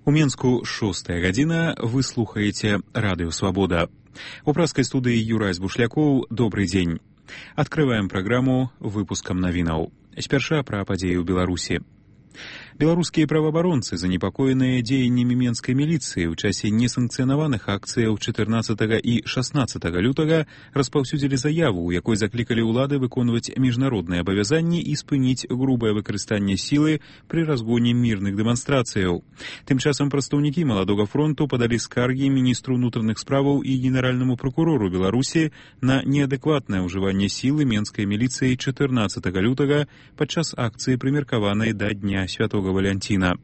У Менску 6 гадзіна, вы слухаеце Радыё Свабода. У праскай студыі Юрай Збушлякоў, добрый дзень. Открываем праграму выпускам навінаў. Спярша пра падзеі ў Беларусі. Беларускія праваабаронцы, занепакоеныя дзеяннямі менскай міліцыі ў часе несанкцыянаваных акцыяў 14 і 16 лютага распаўсюдзілі заяву, у якой заклікалі ўлады выконваць міжнародныя абавязанні і спыніць грубае выкарыстанне сілы пры разгоне мірных дэманстрацыяў. Тым часам прадстаўнікі Маладога фронту падалі скаргі міністру ўнутраных справаў і генеральнаму пракурору Беларусі на неадэкватнае ўжыванне сілы менскай міліцыі 14 лютага падчас акцыі, прымеркаванай да Дня Святога Валянціна.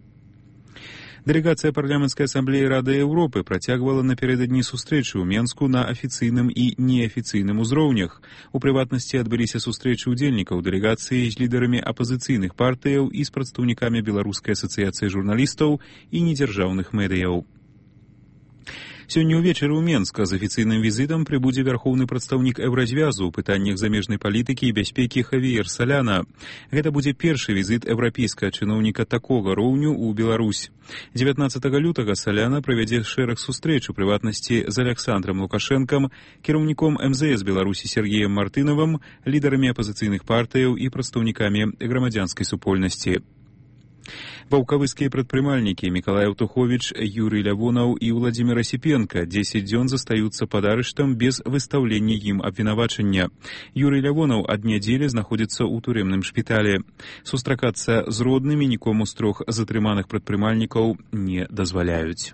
Дэлегацыя парламенцкай асамблеі Рады Еўропы працягвала напярэдадні сустрэчы ў Менску на афіцыйным і неафіцыйным узроўнях. У прыватнасці адбыліся сустрэчы ўдзельнікаў дэлегацыі з лідарамі апазіцыйных партыяў і з прадстаўнікамі Беларускай асацыяцыі журналістаў і недзяржаўных медыяў. Сёння ўвечары ў Менска з афіцыйным візітам прыбудзе вярхоўны прадстаўнік Еўразвязу ў пытаннях замежнай палітыкі і бяспекі Хавіер Саляна. Гэта будзе першы візіт еўрапейскага чыноўніка такога роўню ў Беларусь. 19 лютага Саляна правядзе шэраг сустрэч, у прыватнасці з Аляксандрам Лукашэнкам, кіраўніком МЗС Беларусі Сергеем Мартынавым, лідарамі апазіцыйных партыяў і прадстаўнікамі грамадзянскай супольнасці. Ваўкавыскія прадпрымальнікі Мікалай Аўтуховіч, Юрый Лявонаў і Владзімір Асіпенка 10 дзён застаюцца пад арыштам без выстаўлення ім абвінавачання. Юрый Лявонаў ад нядзелі знаходзіцца ў турэмным шпіталі. Сустракацца з роднымі нікому з трох затрыманых прадпрымальнікаў не дазваляюць.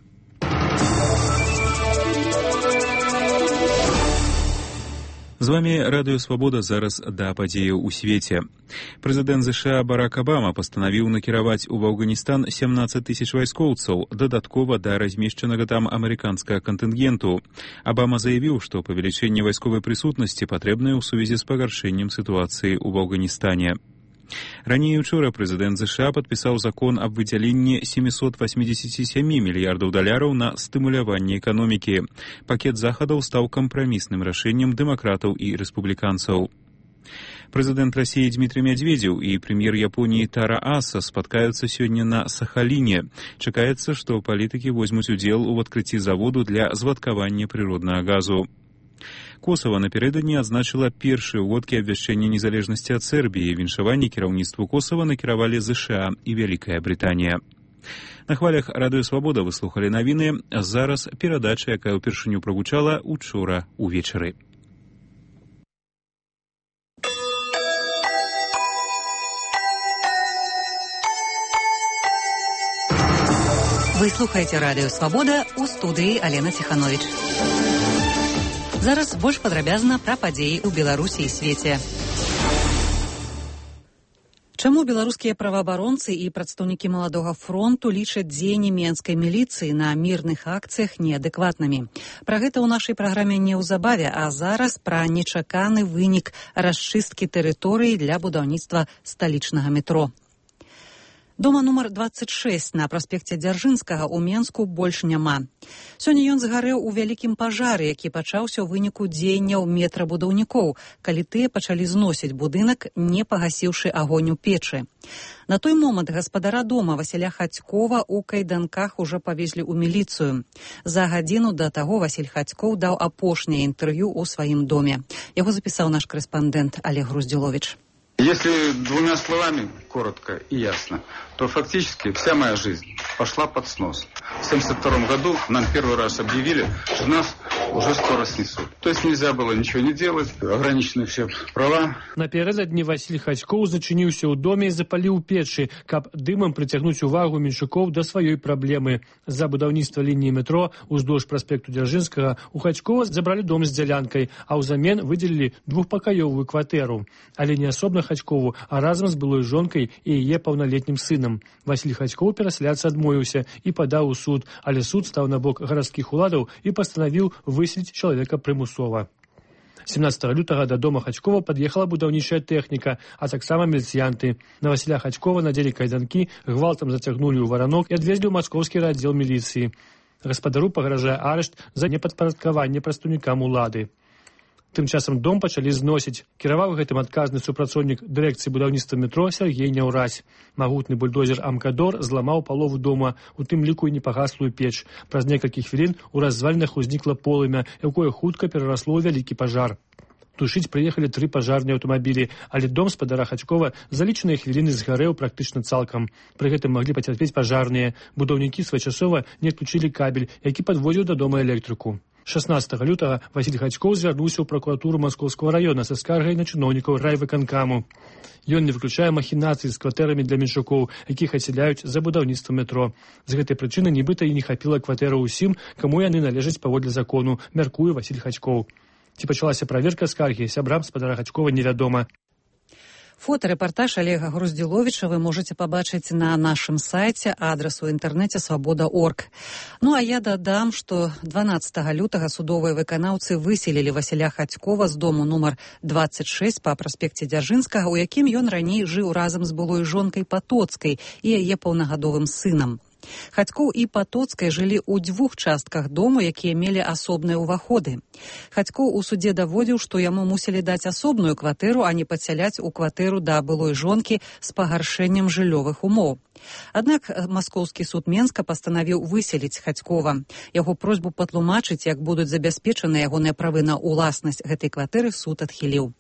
З вами Радыё Свабода, зараз да падзеяў у свеце. Прэзідэнт ЗША Барак Абама пастанавіў накіраваць у Афганістан 17 тысяч вайскоўцаў, дадаткова да размешчанага там амерыканскага кантынгенту. Абама заявіў, што павелічэнне вайсковай прысутнасці патрэбнае ў сувязі з пагаршэннем сітуацыі ў Афганістане. Раней учора прэзідэнт ЗША падпісаў закон аб выдзяленні 787 мільярдаў даляраў на стымуляванне эканомікі. Пакет захадаў стаў кампрамісным рашэннем дэмакратаў і рэспубліканцаў. Прэзідэнт Расіі Дмітрый Мядзведзеў і прэм'ер Японіі Тара Аса спаткаюцца сёння на Сахаліне. Чакаецца, што палітыкі возьмуць удзел у адкрыцці заводу для звадкавання прыроднага газу. Косава напярэдадні адзначыла першыя ўводкі абвяшчэння незалежнасці ад Сербіі. Віншаванне кіраўніцтву Косава накіравалі ЗША і Вялікая Брытанія. На хвалях Радыё Свабода вы слухалі навіны. Зараз перадача, якая ўпершыню прагучала учора увечары. Вы слухаеце Радыё Свабода, у студыі Алена Ціхановіч. Зараз больш падрабязна пра падзеі ў Беларусі і свеце. Чаму беларускія праваабаронцы і прадстаўнікі Маладога фронту лічаць дзеянні менскай міліцыі на мірных акцыях неадэкватнымі? Пра гэта ў нашай праграме неўзабаве, а зараз пра нечаканы вынік расчысткі тэрыторыі для будаўніцтва сталічнага метро. Дома нумар 26 на праспекце Дзяржынскага ў Менску больш няма. Сёння ён згарэў у вялікім пажары, які пачаўся ў выніку дзеянняў метрабудаўнікоў, калі тыя пачалі зносіць будынак, не пагасіўшы агонь у печы. На той момант гаспадара дома Васіля Хацькова ў кайданках ужо павезлі ў міліцыю. За гадзіну да таго Васіль Хацькоў даў апошняе інтэрв'ю ў сваім доме. Яго запісаў наш корэспандэнт Олег Груздзіловіч. Если двумя словами, коротко и ясно, то фактически вся моя жизнь пошла под снос. В 1972 году нам первый раз объявили, что нас уже скоро снесут. То есть нельзя было ничего не делать, ограничены все права. Напярэдадні Васіль Хацькоў зачыніўся ў доме і запаліў печы, каб дымам прыцягнуць увагу меншукоў да сваёй праблемы. За будаўніцтва лініі метро уздоўж праспекту Дзяржынскага у Хацькова забралі дом з дзялянкай, а ўзамен выдзелілі двухпакаёвую кватэру. Але не асобна Хацькову, а разам з былой жонкай і яе паўналетнім сынам. Васіль Хацькоў перасяляцца адмовіўся і падаў у суд, але суд стаў на бок гарадскіх уладаў і пастанавіў выселіць чалавека прымусова. 17 лютага да дома Хацькова пад'ехала будаўнічая тэхніка, а таксама міліцыянты. На Васіля Хацькова надзелі кайданкі, гвалтам зацягнулі ў варанок і адвезлі ў маскоўскі раддзел міліцыі. Гаспадару пагражае арышт за непадпарадкаванне прадстаўнікам улады. Тым часам дом пачалі зносіць. Кіраваў гэтым адказны супрацоўнік дырэкцыі будаўніцтва метро Сергей Няўразь. Магутны бульдозер «Амкадор» зламаў палову дома, у тым ліку і непагаслую печ. Праз некалькі хвілін у развалінах узнікла полымя, якое хутка перарасло ў вялікі пажар. Тушыць прыехалі 3 пажарныя аўтамабілі, але дом спадара Хацькова за лічаныя хвіліны згарэў практычна цалкам. Пры гэтым маглі пацярпець пажарныя. Будаўнікі своечасова не адключылі кабель, які падводзіў да дома электрику. 16 лютага Васіль Хацькоў звярнуўся ў пракуратуру Маскоўскага района са скаргай на чыноўнікаў райвыканкаму. Ён не выключае махінацыі з кватэрамі для меншукоў, якіх адсяляюць за будаўніцтва метро. З гэтай прычыны нібыта і не хапіла кватэру ўсім, каму яны належаць паводле закону, мяркуе Васіль Хацькоў. Ці пачалася праверка скаргі, сябрам спадара Хацькова невядома. Фотарэпартаж Олега Груздзіловіча вы можаце пабачыць на нашым сайце, адрас у інтэрнэце свабода.орг. Ну а я дадам, што 12 лютага судовыя выканаўцы выселілі Васіля Хацькова з дому нумар 26 па праспекце Дзяржынскага, у якім ён раней жыў разам з былой жонкай Патоцкай і яе паўнагадовым сынам. Хацькоў і Патоцкай жылі ў 2 частках дому, якія мелі асобныя ўваходы. Хацькоў у судзе даводзіў, што яму мусілі даць асобную кватэру, а не падсяляць у кватэру да былой жонкі з пагаршэннем жыллёвых умоў. Аднак Маскоўскі суд Менска пастанавіў выселіць Хацькова. Яго просьбу патлумачыць, як будуць забяспечаны ягоныя правы на ўласнасць гэтай кватэры, суд адхіліў.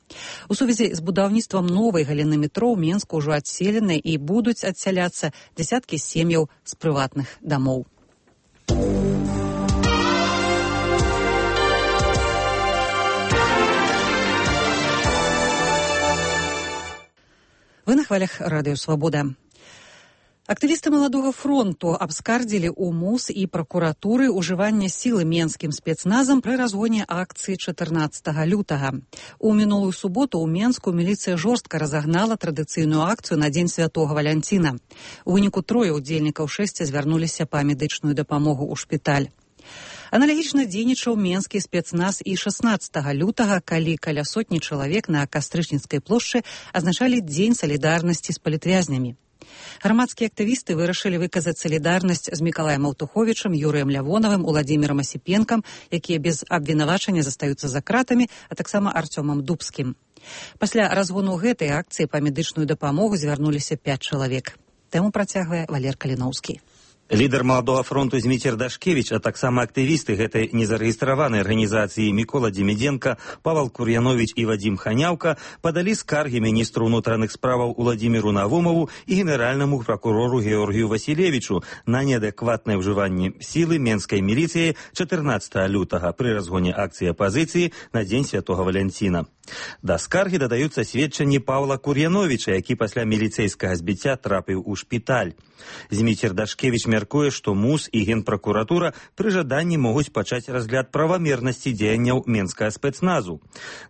У сувязі з будаўніцтвам новай галіны метро ў Менску ўжо адселены і будуць адсяляцца дзясяткі сем'яў з прыватных дамоў. Вы на хвалях радыё «Свабода». Актывісты Маладога фронту абскардзілі ў МУС і пракуратуры ўжыванне сілы менскім спецназам пры разгоне акцыі 14 лютага. У мінулую суботу ў Менску міліцыя жорстка разагнала традыцыйную акцыю на Дзень Святога Валянціна. У выніку 3 удзельнікаў 6 звярнуліся па медычную дапамогу ў шпіталь. Аналагічна дзейнічаў менскі спецназ і 16 лютага, калі каля сотні чалавек на Кастрычніцкай плошчы азначалі Дзень салідарнасці з палітвязнямі. Грамадскія актывісты вырашылі выказаць салідарнасць з Мікалаем Аўтуховічам, Юрыем Лявонавым, Уладзімірам Асіпенкам, якія без абвінавачання застаюцца за кратамі, а таксама Арцёмам Дубскім. Пасля разгону гэтай акцыі па медычную дапамогу звярнуліся 5 чалавек. Тэму працягвае Валер Каліноўскі. Лідар Маладога фронту Зміцер Дашкевіч, а таксама актывісты гэтай незарэгістраванай арганізацыі Мікола Демідзенка, Павал Кур'яновіч і Вадзім Ханяўка падалі скаргі міністру ўнутраных справаў Уладзіміру Навумову і генеральнаму пракурору Георгію Васілевічу на неадэкватнае ўжыванне сілы менскай міліцыі 14 лютага пры разгоне акцыі апазіцыі на Дзень Святога Валянціна. Да скаргі дадаюцца сведчанні Павла Кур'яновіча, які пасля міліцэйскага збіцця трапіў у шпіталь. Зміцер Дашкевіч мяркуе, што МУС і Генпракуратура пры жаданні могуць пачаць разгляд правамернасці дзеянняў менскага спецназу.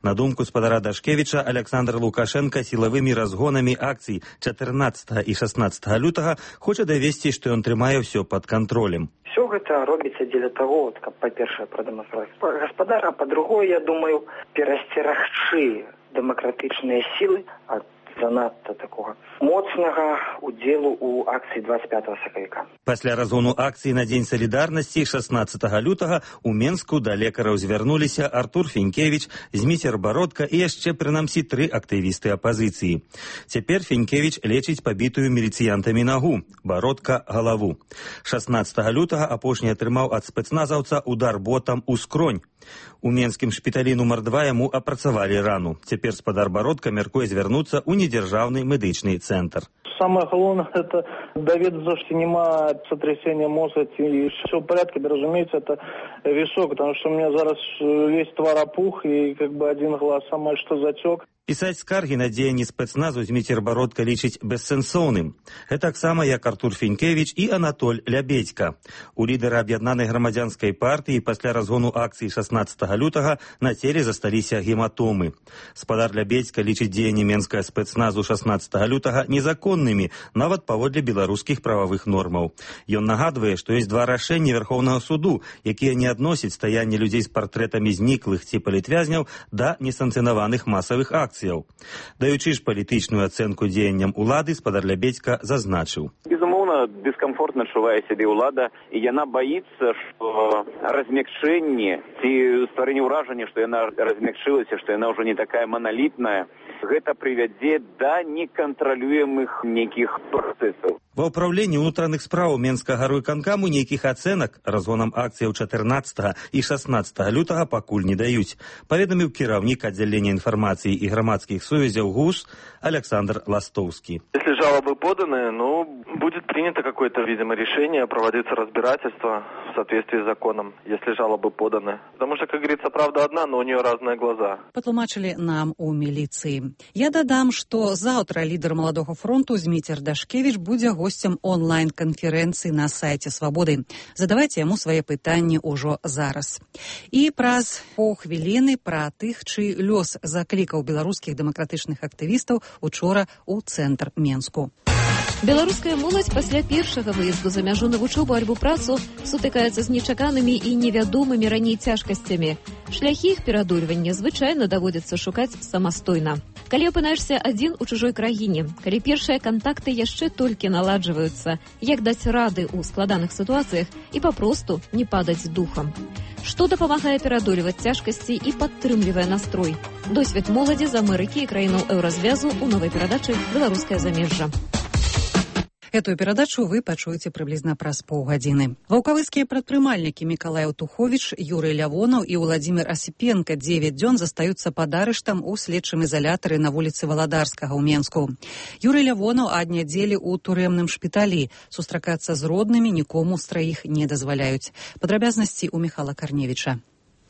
На думку спадара Дашкевіча, Александр Лукашенко сілавымі разгонамі акцый 14 і 16 лютага хоча давесці, што ён трымае ўсё пад кантролем. Все гэта робіцца дзеля таго, каб, па-першае, прадэманстраваць гаспадара, а па-другое, я думаю, перасцерагчы дэмакратычныя сілы ад занадта такога моцнага удзелу ў акцыі 25 сакавіка. Пасля разгону акцыі на Дзень салідарнасці 16 лютага у Менску да лекараў звярнуліся Артур Фенькевіч, Зміцер Бародка і яшчэ прынамсі 3 актывісты апазіцыі. Цяпер Фенькевіч лечыць пабітую міліцыянтамі нагу, Бародка — галаву. 16 лютага апошні атрымаў ад спецназаўца удар ботам у скронь. У менскім шпіталі нумар 2 яму апрацавалі рану. Цяпер спадар Бародка мяркуе звярнуцца ў недзяржаўны медычны цэнтр. Самое главное, это доведаться, что нема сотрясения мозга, и все в порядке, да, разумеется, это висок, потому что у меня зараз весь твар опух, и как бы один глаз самое что затек. Пісаць скаргі на дзеянні спецназу Зміцер Бародка лічыць бессэнсоўным. Гэтаксама як Артур Фенькевіч і Анатоль Лябедзька. У лідара аб'яднанай грамадзянскай партыі пасля разгону акцыі 16 лютага на целе засталіся гематомы. Спадар Лябедзька лічыць дзеянні менскага спецназу 16 лютага незаконнымі, нават паводле беларускіх прававых нормаў. Ён нагадвае, што ёсць 2 рашэнні Верхоўнага суду, якія не адносяць стаянне людзей з партрэтамі зніклых ці палітвязняў да несанкцыянаваных масавых акцый. Даючы ж палітычную ацэнку дзеянням улады, спадар Лябедзька зазначыў. Безумоўна, дыскамфортна адчувае сябе ўлада, і яна баіцца, што размякчэнне ці стварэнне ўражання, што яна размякчылася, што яна ўжо не такая маналітная, гэта прывядзе да некантралюемых нейкіх працэсаў. Ва ўпраўленні ўнутраных спраў Менскага райвыканкаму нейкіх ацэнак разгонам акцыяў 14 і 16 лютага пакуль не даюць, паведаміў кіраўнік аддзялення інфармацыі і грамадскіх сувязяў ГУС Александр Ластовский. Если жалобы поданы, будет принято какое-то, видимо, решение, проводиться разбирательство в соответствии с законом, если жалобы поданы. Потому что, как говорится, правда одна, но у нее разные глаза. Патлумачылі нам у міліцыі. Я дадам, што заўтра лідар Маладога фронту Зміцер Дашкевіч будзе госцем онлайн-канферэнцыі на сайце Свабоды. Задавайце яму свае пытанні ўжо зараз. І праз паўхвіліны пра тых, чый лёс заклікаў беларускіх дэмакратычных актывістаў учора ў цэнтр Менску. Беларуская моладзь пасля першага выезду за мяжу на вучобу альбо працу сутыкаецца з нечаканымі і невядомымі раней цяжкасцямі. Шляхі іх пераадольвання звычайна даводзіцца шукаць самастойна. Калі апынаешся адзін у чужой краіне, калі першыя кантакты яшчэ толькі наладжваюцца, як даць рады ў складаных сітуацыях і папросту не падаць духам. Што дапамагае пераадольваць цяжкасці і падтрымлівае настрой? Досвед моладзі з Амерыкі і краінаў еўразвязу ў новай перадачы «Беларускае замежжа». Эту перадачу вы пачуеце прыблізна праз паўгадзіны. Ваўкавыцкія прадпрымальнікі Мікалай Аўтуховіч, Юрый Лявонаў і Владзімір Асіпенка 9 дзён застаюцца пад арыштам у следчым ізалятары на вуліцы Валадарскага ў Менску. Юрый Лявонаў ад нядзелі ў турэмным шпіталі. Сустракацца з роднымі нікому з траіх не дазваляюць. Падрабязнасці ў Міхала Карневіча.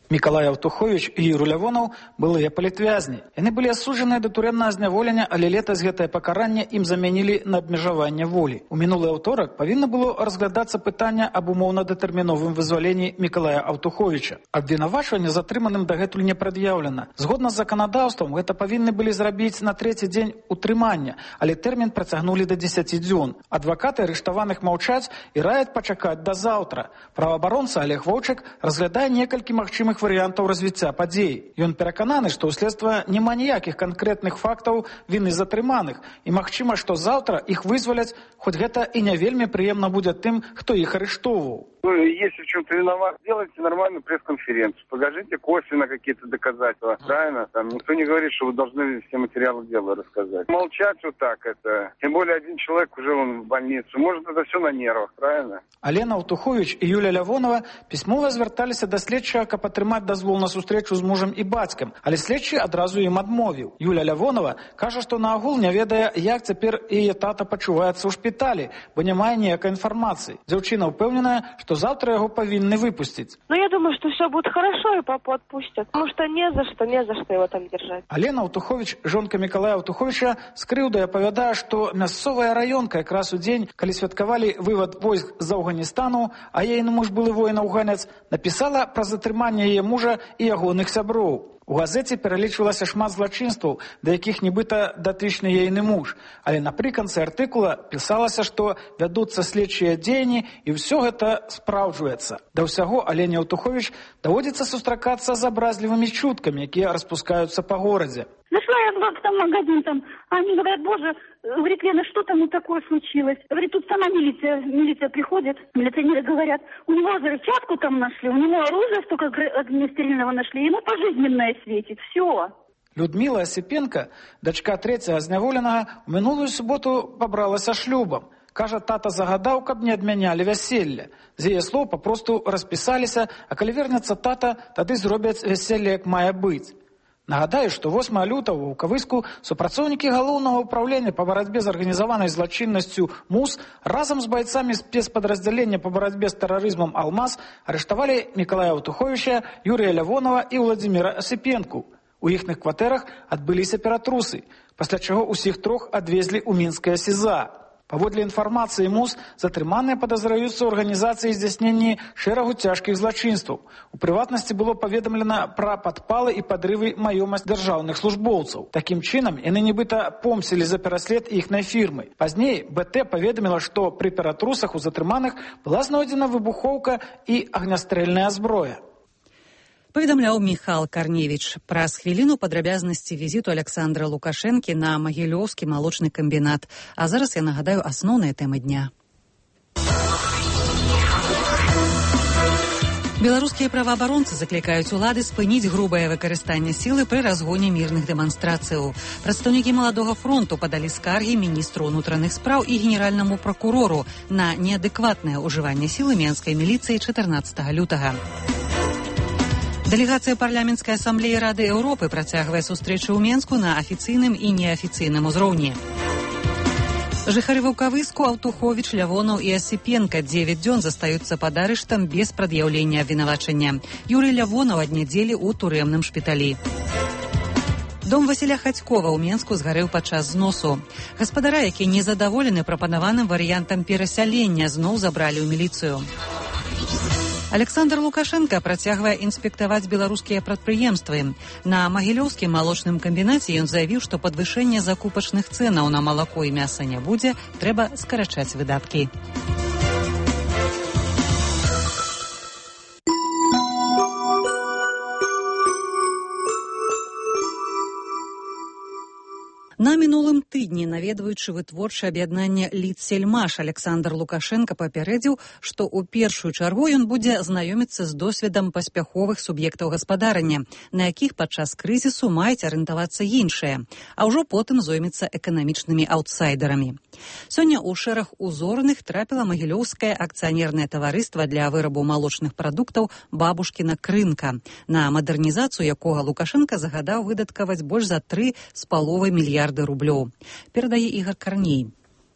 Мікалай Аўтуховіч і Юрый Лявонаў былыя палітвязні. Яны былі асуджаныя да турэмнага зняволення, але летась гэтае пакаранне ім замянілі на абмежаванне волі. У мінулы аўторак павінна было разглядацца пытанне аб умоўна-датэрміновым вызваленні Мікалая Аўтуховіча. Абвінавачванне затрыманым дагэтуль не прад'яўлена. Згодна з заканадаўствам, гэта павінны былі зрабіць на 3-й дзень утрымання, але тэрмін працягнулі да 10 дзён. Адвакаты арыштаваных маўчаць і раяць пачакаць да заўтра. Праваабаронца Олег Вовчык разглядае некалькі магчымых варыянтаў развіцця падзей. Ён перакананы, што ў следства няма ніякіх канкрэтных фактаў віны затрыманых і магчыма, што заўтра іх вызваляць, хоць гэта і не вельмі прыемна будзе тым, хто іх арыштоўваў. Если в чем-то виноват, делайте нормальную пресс-конференцию, покажите косвенно какие-то доказательства, правильно? Там никто не говорит, что вы должны все материалы дела рассказать. Молчать вот так это, тем более один человек уже он в больнице, может это все на нервах, правильно? Алена Аўтуховіч і Юля Лявонова пісьмова звярталіся да следчага, каб атрымаць дазвол на сустрэчу з мужам і бацькам, але следчы адразу ім адмовіў. Юля Лявонова кажа, што наогул не ведае, як цяпер яе тата пачуваецца ў шпіталі, бо не мае ніякай інфармацыі. Дзяўчына ўпэўненая, што завтра его повинны выпустить. Я думаю, что все будет хорошо и папу отпустят. Потому что не за что его там держать. Алена Аўтуховіч, жонка Мікалая Аўтуховіча, з крыўдай апавядае, што мясцовая раёнка якраз у дзень, калі святкавалі вывад войск з Афганістану, а ейны муж былы воін-афганец, напісала пра затрыманне яе мужа і ягоных сяброў. У газеце пералічвалася шмат злачынстваў, да якіх нібыта датычны ейны муж. Але напрыканцы артыкула пісалася, што вядуцца следчыя дзеянні і ўсё гэта спраўджваецца. Да ўсяго Алене Аўтуховіч даводзіцца сустракацца з абразлівымі чуткамі, якія распускаюцца па горадзе. Зашла я в там магазин, они говорят, боже, говорит, Лена, что там такое случилось? Говорит, тут сама милиция приходит, милиционеры говорят, у него взрывчатку там нашли, у него оружие столько огнестрельного нашли, ему пожизненное светит, все. Людмила Асіпенка, дачка трэцяга зняволенага, у мінулую суботу пабралася шлюбам. Кажа, тата загадаў, каб не адмянялі вяселле. З яе слоў папросту распісаліся, а калі вернецца тата, тады зробяць вяселле, як мае быць. Нагадаю, што 8 лютага ў Ваўкавыску супрацоўнікі галоўнага ўпраўлення па барацьбе з арганізаванай злачыннасцю МУС разам з байцамі спецпадраздзялення па барацьбе з тэрарызмам «Алмаз» арыштавалі Мікалая Аўтуховіча, Юрыя Лявонова і Владзіміра Асіпенку. У іхных кватэрах адбыліся ператрусы, пасля чаго ўсіх трох адвезлі ў мінскае СІЗА. Паводле інфармацыі МУС, затрыманыя падазраюцца ў арганізацыі здзяйснення шэрагу цяжкіх злачынстваў. У прыватнасці было паведамлена пра падпалы і падрывы маёмасць дзяржаўных службоўцаў. Такім чынам, яны нібыта помсілі за пераслед іхнай фірмы. Пазней БТ паведаміла, што пры ператрусах у затрыманых была знойдзена выбухоўка і агнястрэльная зброя. Паведамляў Міхал Карневіч. Праз хвіліну падрабязнасці візіту Александра Лукашэнкі на Магілёўскі малочны камбінат. А зараз я нагадаю асноўныя тэмы дня. Беларускія праваабаронцы заклікаюць улады спыніць грубае выкарыстанне сілы пры разгоне мірных дэманстрацыяў. Прадстаўнікі маладога фронту падалі скаргі міністру ўнутраных спраў і генеральнаму пракурору на неадэкватнае ўжыванне сілы менскай міліцыі 14 лютага. Дэлегацыя парламенцкай асамблеі Рады Еўропы працягвае сустрэчы ў Менску на афіцыйным і неафіцыйным узроўні. Жыхары Ваўкавыску, Аўтуховіч, Лявонаў і Асіпенка 9 дзён застаюцца пад арыштам без прад'яўлення абвінавачання. Юрый Лявонаў ад нядзелі ў турэмным шпіталі. Дом Васіля Хацькова ў Менску згарэў падчас зносу. Гаспадара, які незадаволены прапанаваным варыянтам перасялення, зноў забралі ў міліцыю. Александр Лукашенко працягвае інспектаваць беларускія прадпрыемствы. На Магілёўскім малочным камбінаце ён заявіў, што падвышэння закупачных цэнаў на малако і мяса не будзе, трэба скарачаць выдаткі. На мінулым тыдні, наведваючы вытворчае аб'яднанне «Лідсельмаш», Александр Лукашенко папярэдзіў, што ў першую чаргу ён будзе знаёміцца з досведам паспяховых суб'ектаў гаспадарання, на якіх падчас крызісу маюць арыентавацца іншыя, а ўжо потым зоймецца эканамічнымі аўтсайдарамі. Сёння ў шэраг узорных трапіла Магілёўскае акцыянернае таварыства для вырабу малочных прадуктаў «Бабушкіна крынка», на мадэрнізацыю якога Лукашенко загадаў выдаткаваць больш за 3,5 мільярды рублёў. Перадае Ігор Карней.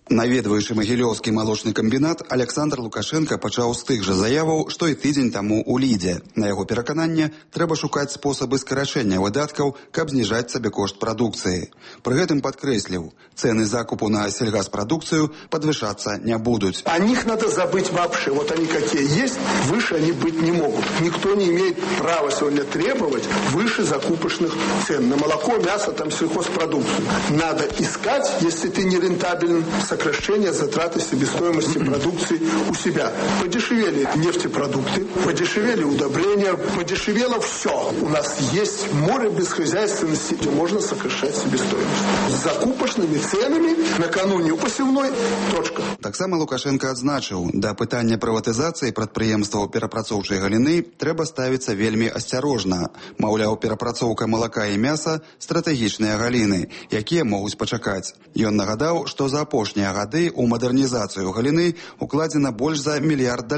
Наведваючы Магілёўскі малочны камбінат, Александр Лукашенко пачаў з тых жа заяваў, што і тыдзень таму ў Лідзе. На яго перакананне, трэба шукаць спосабы скарачэння выдаткаў, каб зніжаць сабекошт прадукцыі. Пры гэтым падкрэсліў, цэны закупу на сельгаспрадукцыю падвышацца не будуць. О них надо забыть вообще. Вот они какие есть, выше они быть не могут. Никто не имеет права сегодня требовать выше закупочных цен на молоко, мясо, там сельхозпродукцию. Надо искать, если ты не рентабелен, сокращение затраты себестоимости продукции у себя. Подешевели нефтепродукты, подешевели удобрения, подешевело все. У нас есть море бесхозяйственности, где можно сокращать себестоимость. С закупочными ценами накануне посевной точка. Таксама Лукашенко адзначыў, да пытання прыватызацыі прадпрыемстваў перапрацоўчай галіны трэба ставіцца вельмі асцярожна. Маўляў, перапрацоўка малака і мяса – стратэгічныя галіны, якія могуць пачакаць. Ён нагадаў, што за апошнія гады ў мадэрнізацыю галіны укладзена больш за $1 мільярд.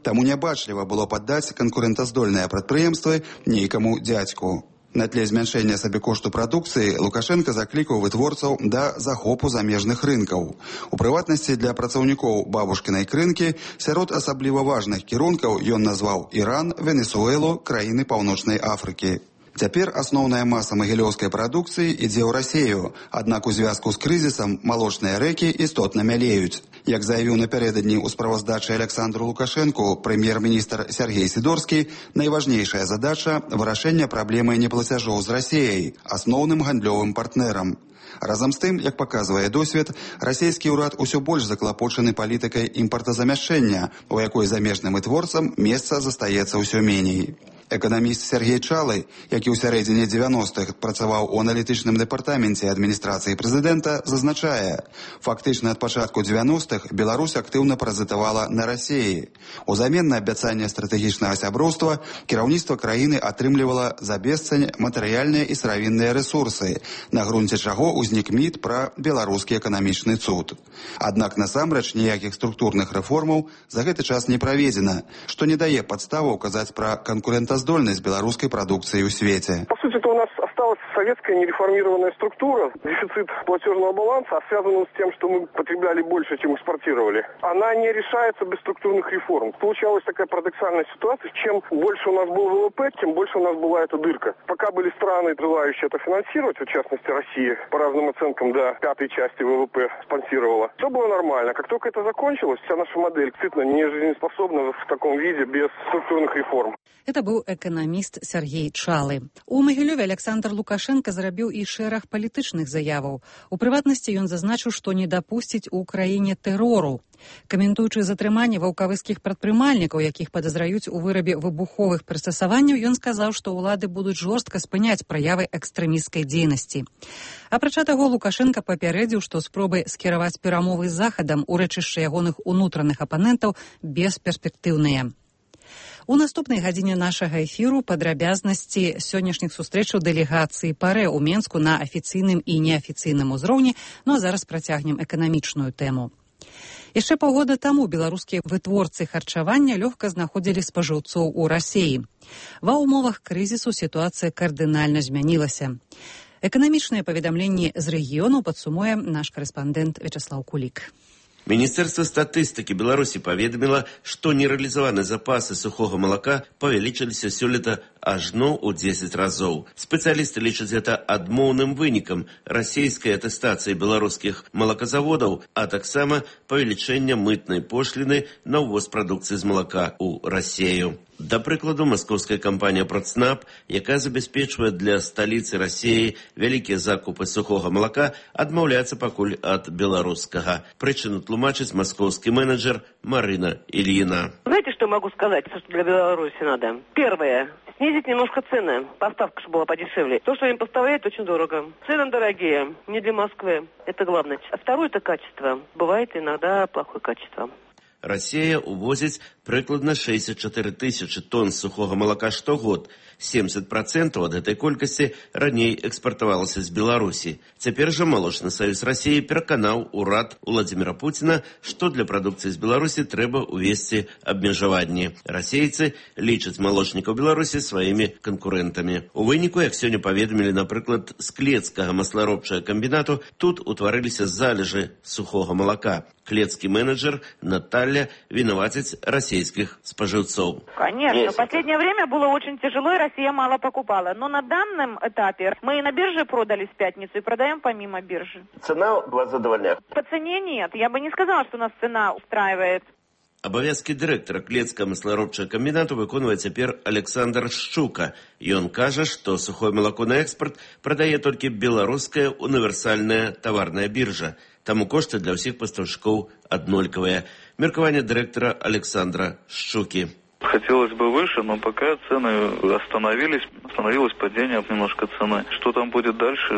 Таму нябачліва было паддаць канкурэнтаздольныя прадпрыемствы нейкаму дзядзьку. На тле змяншэння сабекошту прадукцыі Лукашенко заклікаў вытворцаў да захопу замежных рынкаў. У прыватнасці для працаўнікоў бабушкінай крынкі сярод асабліва важных кірункаў ён назваў Іран, Венесуэлу, краіны Паўночнай Афрыкі. Цяпер асноўная маса магілёўскай прадукцыі ідзе ў Расею, аднак у звязку з крызісам малочныя рэкі істотна мялеюць. Як заявіў напярэдадні ў справаздачы Александру Лукашэнку прэм'ер-міністр Сергей Сідорскі, найважнейшая задача – вырашэнне праблемы неплацяжоў з Расеяй, асноўным гандлёвым партнерам. Разам з тым, як паказвае досвед, расійскі ўрад усё больш заклапочаны палітыкай імпартазамяшчэння, у якой замежным вытворцам месца застаецца ўсё меней. Эканаміст Сергей Чалы, які ў сярэдзіне 90-х працаваў у аналітычным дэпартаменце адміністрацыі прэзідэнта, зазначае, фактычна ад пачатку 90-х Беларусь актыўна паразітавала на Расеі. Узамен на абяцанне стратэгічнага сяброўства кіраўніцтва краіны атрымлівала за бесцань матэрыяльныя і сыравінныя рэсурсы, на грунце чаго ўзнік міт пра беларускі эканамічны цуд. Аднак насамрэч ніякіх структурных рэформаў за гэты час не праведзена, што не дае падставаў казаць пра конкурентоздольность белорусской продукции в свете. По сути, у нас осталась советская нереформированная структура. Дефицит платежного баланса, связан с тем, что мы потребляли больше, чем экспортировали. Она не решается без структурных реформ. Получалась такая парадоксальная ситуация. Чем больше у нас был ВВП, тем больше у нас была эта дырка. Пока были страны, желающие это финансировать, в частности Россия, по разным оценкам до 5-й части ВВП спонсировала, все было нормально. Как только это закончилось, вся наша модель действительно не жизнеспособна в таком виде без структурных реформ. Это быў эканаміст Сергей Чалы. У Магілёве Александр Лукашенко зрабіў і шэраг палітычных заяваў. У прыватнасці ён зазначыў, што не дапусціць у краіне тэрору. Каментуючы затрыманне ваўкавыскіх прадпрымальнікаў, якіх падазраюць у вырабе выбуховых прыстасаванняў, ён сказаў, што ўлады будуць жорстка спыняць праявы экстрэмісцкай дзейнасці. Апрача таго, Лукашенко папярэдзіў, што спробы скіраваць перамовы з Захадам у рэчышча ягоных унутраных апанентаў бесперспектыўныя. У наступнай гадзіне нашага эфіру падрабязнасці сённяшніх сустрэчаў дэлегацыі ПАРЭ ў Менску на афіцыйным і неафіцыйным узроўні, ну а зараз працягнем эканамічную тэму. Яшчэ паўгода таму беларускія вытворцы харчавання лёгка знаходзілі спажыўцоў у Расеі. Ва ўмовах крызісу сітуацыя кардынальна змянілася. Эканамічныя паведамленні з рэгіёну падсумуе наш карэспандэнт Вячеслав Кулік. Министерство статистики Беларуси поведомило, что нереализованные запасы сухого молока павялічыліся сёлета ажно ў 10 разоў. Спецыялісты лічаць гэта адмоўным вынікам расійскай атэстацыі беларускіх малаказаводаў, а таксама павелічэння мытнай пошліны на ўвоз прадукцыі з малака ў Расею. Да прыкладу, маскоўская кампанія «Процнаб», якая забяспечвае для сталіцы Расеі вялікія закупы сухога малака, адмаўляецца пакуль ад беларускага. Прычыну тлумачыць маскоўскі менеджер Марина Ильина. Знаете, что могу сказать, что для Беларуси надо? Первое. Снизить немножко цены. Поставка, чтобы была подешевле. То, что им поставляют, очень дорого. Цены дорогие. Не для Москвы. Это главное. А второе, это качество. Бывает иногда плохое качество. Россия увозит прыкладна 64 тысячи тонн сухого молока штогод. 70% от этой колькасці раней экспартавалася з Беларусі. Цяпер жа Малочны саюз Расіі пераканаў урад Владзіміра Пуціна, што для прадукцыі з Беларусі трэба увесці абмежаванні. Расейцы лічаць малочнікаў Беларусі сваімі канкурэнтамі. У выніку, як сёння паведамілі, напрыклад, з Клецкага масларобчага комбінату, тут утварыліся залежы сухога молока. Клецкі менеджер Наталья виноватить российских споживцов. Конечно, в последнее время было очень тяжело, и Россия мало покупала. Но на данном этапе мы и на бирже продали в пятницу, и продаем помимо биржи. Цена была задовольняет? По цене нет. Я бы не сказала, что нас цена устраивает. Абавязкі дырэктара Клецкага масларобчага камбінату выконвае цяпер Александр Шчука. Ён кажа, што сухое малако на экспорт прадае толькі беларуская універсальная таварная биржа. Таму кошты для ўсіх пастаўшчыкоў аднолькавыя. Меркаванне дырэктара Александра Шчуки. Хотелось бы выше, но пока цены остановились. Остановилось падение немножко цены. Что там будет дальше,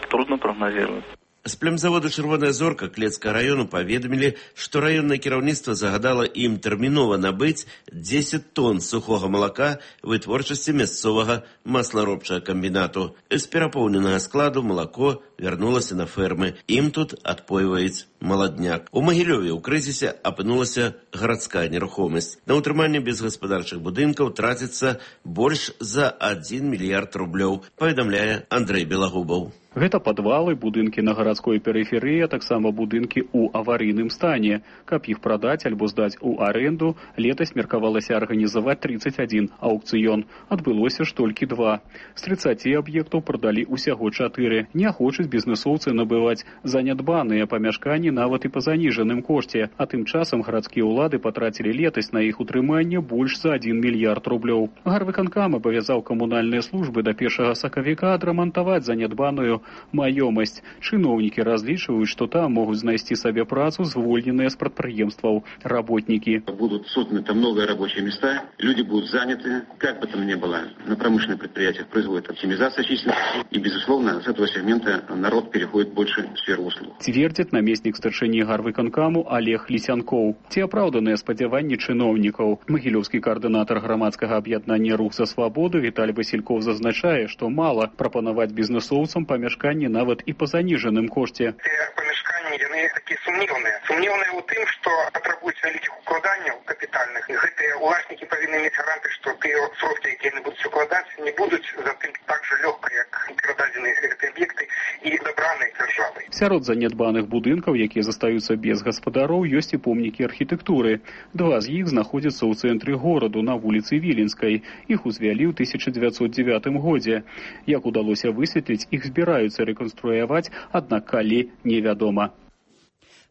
трудно прогнозировать. З племзавода «Чырвоная зорка» Клецкага району паведамілі, што раённае кіраўніцтва загадала ім тэрмінова набыць 10 тонн сухога малака вытворчасці мясцовага масларобчага камбінату. З перапоўненага складу малако вярнулася на фермы. Ім тут адпойваюць маладняк. У Магілёве ў крызісе апынулася гарадская нерухомасць. На ўтрыманне безгаспадарчых будынкаў траціцца больш за 1 мільярд рублёў, паведамляе Андрэй Белагубаў. Гэта падвалы, будынкі на гарадской перыферыі, а таксама будынкі ў аварыйным стане. Каб іх прадаць альбо здаць у аренду, летась меркавалася арганізаваць 31 аўкцыён. Адбылося ж толькі 2. З 30 аб'ектаў прадалі ўсяго 4. Не хочуць бізнэсоўцы набываць занядбаныя памяшканні нават і па заніжаным кошце. А тым часам гарадскія ўлады патрацілі летась на іх утрыманне больш за 1 мільярд рублёў. Гарвыканкам абавязаў камунальныя службы да 1 сакавіка адрамантаваць занядбаную маёмасць. Чыноўнікі разлічваюць, што там могуць знайсці сабе працу звольненыя з прадпрыемстваў работнікі. Будут созданы там новые рабочие места, люди будут заняты, как бы там ни было. На промышленных предприятиях производит оптимизация численности, и, безусловно, с этого сегмента народ переходит больше в сферу услуг. Цвердзіць намеснік старшыні гарвыканкаму Олег Лісянкоў. Ці апраўданыя спадзяванні чыноўнікаў? Магілёўскі каардынатар грамадскага аб'яднання «Рух за свабоду» Віталь Васільков зазначае, што мала прапанаваць бізнэсоўцам памяшканні нават і па заніжаным кошце. Памяшканні, яны такі сумнеўныя. Сумнеўныя ў тым, што патрабуюць вялікіх укладанняў капітальных. Гэтыя уласнікі павінны мець гаранты, што тыя сродкі, якія яны будуць укладаць, не будуць затым так жа лёгка, як перададзеныя гэтыя аб'екты і дабраныя дзяржавай. Сярод занядбаных будынкаў, якія застаюцца без гаспадароў, ёсць і помнікі архітэктуры. 2 з іх знаходзяцца ў цэнтры гораду на вуліцы Віленскай. Іх узвялі ў 1909 годзе. Як удалося высветліць, іх збіраюцца рэканструяваць, аднак калі невядома.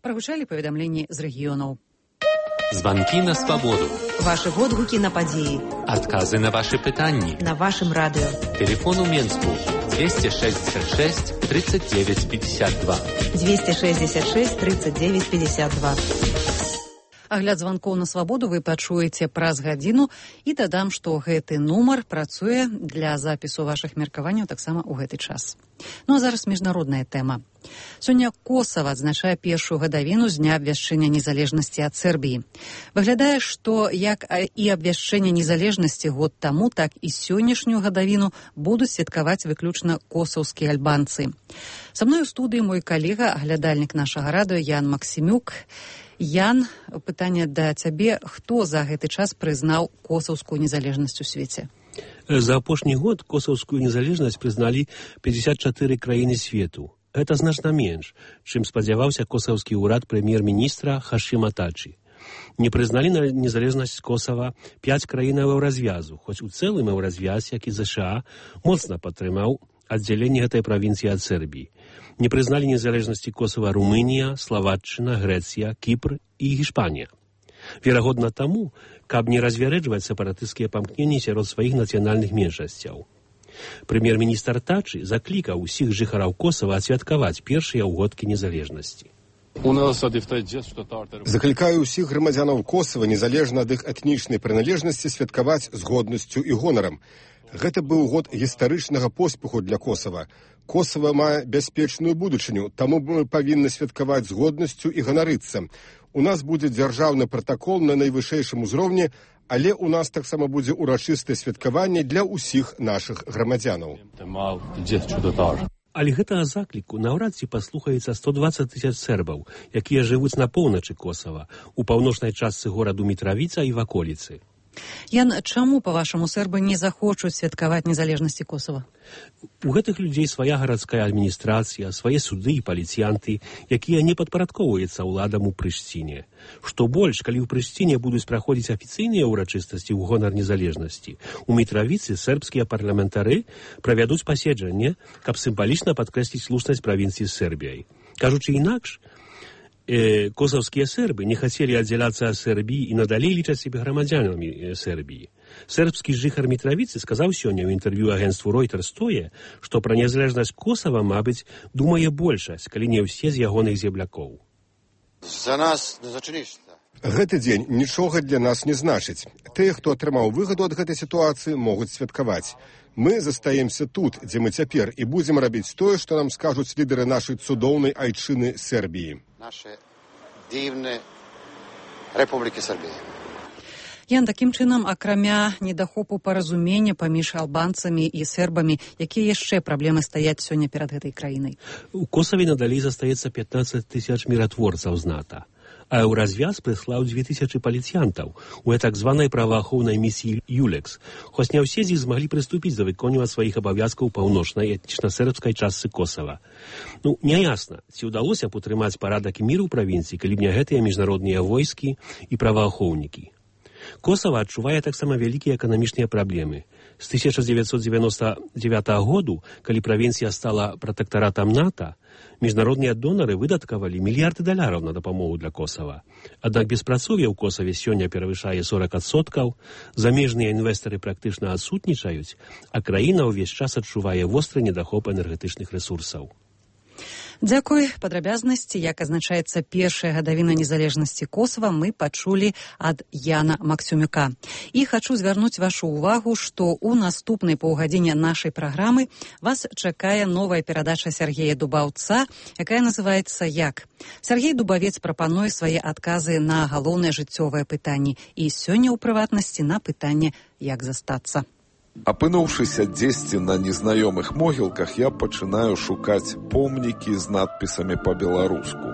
Прагучалі паведамленні з рэгіёнаў. Званкі на свабоду. Вашы водгукі на падзеі. Адказы на вашы пытанні. На вашым радыё. Тэлефон у Менску 266 39 52. 266 39 52. Агляд званкоў на свабоду вы пачуеце праз гадзіну і дадам, што гэты нумар працуе для запісу вашых меркаванняў таксама ў гэты час. Ну а зараз міжнародная тэма. Сёння Косава адзначае першую гадавіну з дня абвяшчэння незалежнасці ад Сербіі. Выглядае, што як і абвяшчэнне незалежнасці год таму, так і сённяшнюю гадавіну будуць святкаваць выключна косаўскія альбанцы. Са мной у студыі мой калега, аглядальнік нашага радыё Ян Максімюк. Ян, пытанне да цябе, хто за гэты час прызнаў косаўскую незалежнасць у свеце? За апошні год косаўскую незалежнасць прызналі 54 краіны свету. Гэта значна менш, чым спадзяваўся косаўскі ўрад прэм'ер-міністра Хашима Тачи. Не прызналі незалежнасць Косава 5 краінаў еўразвязу, хоць у цэлым еўразвяз, як і ЗША, моцна падтрымаў аддзяленне гэтай правінцыі ад Сербіі. Не прызналі незалежнасці Косава Румынія, Славатчына, Грэцыя, Кіпр і Гішпанія. Верагодна таму, каб не развярэджваць сепаратысцкія памкненні сярод сваіх нацыянальных меншасцяў. Прэм'ер-міністр Тачи заклікаў усіх жыхараў Косава адсвяткаваць першыя ўгодкі незалежнасці. Заклікаю ўсіх грамадзянаў Косава, незалежна ад іх этнічнай прыналежнасці, святкаваць з годнасцю і гонарам. Гэта быў год гістарычнага поспеху для Косава. Косава мае бяспечную будучыню, таму мы павінны святкаваць з годнасцю і ганарыцца. У нас будзе дзяржаўны пратакол на найвышэйшым узроўні, але у нас таксама будзе урачыстае святкаванне для ўсіх нашых грамадзянаў. Але гэтага закліку наўрад ці паслухаецца 120 000 сербаў, якія жывуць на поўначы Косава, у паўночнай частцы гораду Мітравіца і ваколіцы. Ян, чаму, па-вашаму, сербы не захочуць святкаваць незалежнасці Косава? У гэтых людзей свая гарадская адміністрацыя, свае суды і паліцыянты, якія не падпарадкоўваюцца ўладам у Прышціне. Што больш, калі ў Прышціне будуць праходзіць афіцыйныя ўрачыстасці ў гонар незалежнасці, у Мітравіцы сербскія парламентары правядуць паседжанне, каб сімвалічна падкрэсліць слушнасць правінцыі з Сербіяй. Кажучы інакш, косаўскія сербы не хацелі аддзяляцца ад Сербіі і надалей лічаць сябе грамадзянамі Сербіі. Сербскі жыхар Мітравіцы сказаў сёння ў інтэрв'ю агенцтву Reuters тое, што пра незалежнасць Косава, мабыць, думае большасць, калі не ўсе з ягоных землякоў. За нас не значыць нішта. Гэты дзень нічога для нас не значыць. Тыя, хто атрымаў выгаду ад гэтай сітуацыі, могуць святкаваць. Мы застаемся тут, дзе мы цяпер, і будзем рабіць тое, што нам скажуць лідары нашай цудоўнай айчыны Сербіі. Наша дзіўная Рэпубліка Сербія. Ян, такім чынам, акрамя недахопу паразумення паміж албанцамі і сербамі, якія яшчэ праблемы стаяць сёння перад гэтай краінай? У Косаве надалей застаецца 15 000 міратворцаў з НАТО. А еўразвяз прыслаў 2000 паліцыянтаў у так званай праваахоўнай місіі ЮЛЕКС, хоць не ўсе з іх змаглі прыступіць да выконвання сваіх абавязкаў паўночнай этнічна-сербскай частцы Косава. Няясна, ці ўдалося б утрымаць парадак і мір у правінцыі, калі б не гэтыя міжнародныя войскі і праваахоўнікі. Косава адчувае таксама вялікія эканамічныя праблемы. З 1999 году, калі правінцыя стала пратэктаратам НАТО, міжнародныя донары выдаткавалі $мільярды на дапамогу для Косава. Аднак беспрацоўе ў Косаве сёння перавышае 40%, замежныя інвестары практычна адсутнічаюць, а краіна ўвесь час адчувае востры недахоп энергетычных рэсурсаў. Дзякуй. Падрабязнасці, як азначаецца першая гадавіна незалежнасці Косава, мы пачулі ад Яна Максімюка. І хачу звярнуць вашу ўвагу, што ў наступнай паўгадзіне нашай праграмы вас чакае новая перадача Сергея Дубаўца, якая называецца «Як?». Сергей Дубавец прапануе свае адказы на галоўныя жыццёвыя пытанні і сёння ў прыватнасці на пытанне «Як застацца?». Апынуўшыся дзесьці на незнаёмых могілках, я пачынаю шукаць помнікі з надпісамі па-беларуску.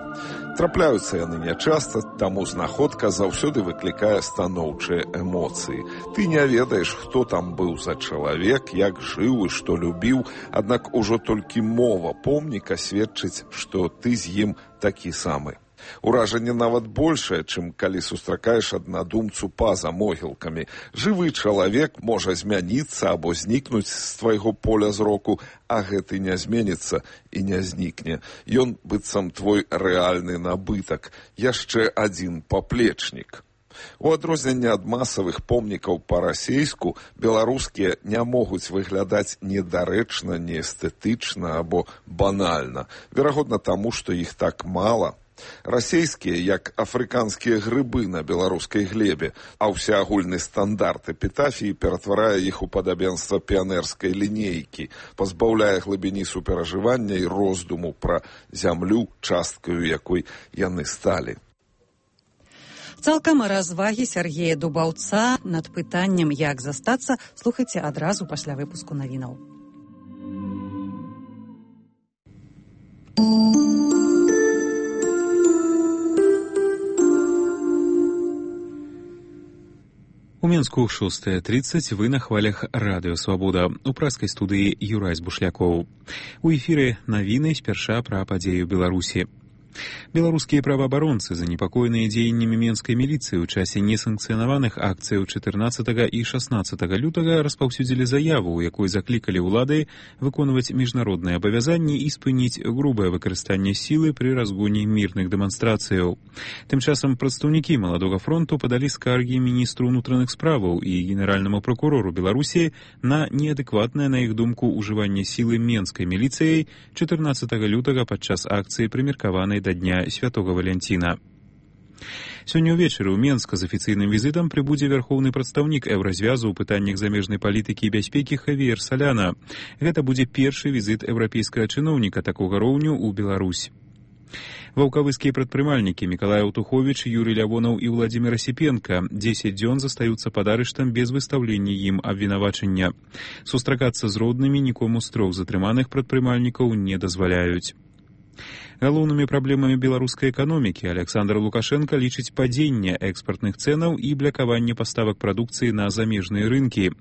Трапляюцца яны нячаста, таму знаходка заўсёды выклікае станоўчыя эмоцыі. Ты не ведаеш, хто там быў за чалавек, як жыў і што любіў, аднак ужо толькі мова помніка сведчыць, што ты з ім такі самы. Уражанне нават большае, чым калі сустракаеш аднадумцу па-за могілкамі. Жывы чалавек можа змяніцца або знікнуць з твайго поля зроку, а гэты не зменіцца і не знікне. Ён быццам твой рэальны набытак, яшчэ адзін паплечнік. У адрозненне ад масавых помнікаў па-расейску, беларускія не могуць выглядаць недарэчна, неэстэтычна або банальна. Верагодна таму, што іх так мала. Расейскія, як афрыканскія грыбы на беларускай глебе, а ўсеагульны стандарт эпітафіі ператварае іх у падабенства піянерскай лінейкі, пазбаўляе глыбіні суперажывання і роздуму пра зямлю, часткаю якой яны сталі. Цалкам развагі Сергея Дубаўца над пытаннем, як застацца, слухайце адразу пасля выпуску навінаў. У Мінску 6:30, вы на хвалях Радыё Свабода. У праскай студыі Юрай Бушлякоў. У эфіры навіны спярша пра падзею Беларусі. Беларускія праваабаронцы, занепакоеныя дзеяннямі менскай міліцыі ў часе несанкцыянаваных акцыяў 14 і 16 лютага распаўсюдзілі заяву, у якой заклікалі ўлады выконваць міжнародныя абавязанні і спыніць грубае выкарыстанне сілы пры разгоне мірных дэманстрацыяў. Тым часам прадстаўнікі Маладога фронту падалі скаргі міністру ўнутраных справаў і генеральнаму пракурору Беларусі на неадэкватнае, на іх думку, ужыванне сілы менскай міліцыяй 14 лютага падчас акцыі прымеркаванай да дня Святого Валянціна. Сёння ўвечары ў Менска з афіцыйным візітам прыбудзе вярхоўны прадстаўнік Еўразвязу ў пытаннях замежнай палітыкі і бяспекі Хавіер Саляна. Гэта будзе першы візіт еўрапейскага чыноўніка такога роўню ў Беларусь. Ваўкавыскія прадпрымальнікі Мікалай Аўтуховіч, Юрый Лявонаў і Владзімір Асіпенка 10 дзён застаюцца пад арыштам без выстаўлення ім абвінавачання. Сустракацца з роднымі нікому з трох затрыманых прадпрымальнікаў не дазваляюць. Галоўнымі праблемамі беларускай эканомікі Александр Лукашенко лічыць падзенне экспартных цэнаў і блякаванне паставак прадукцыі на замежныя рынкі.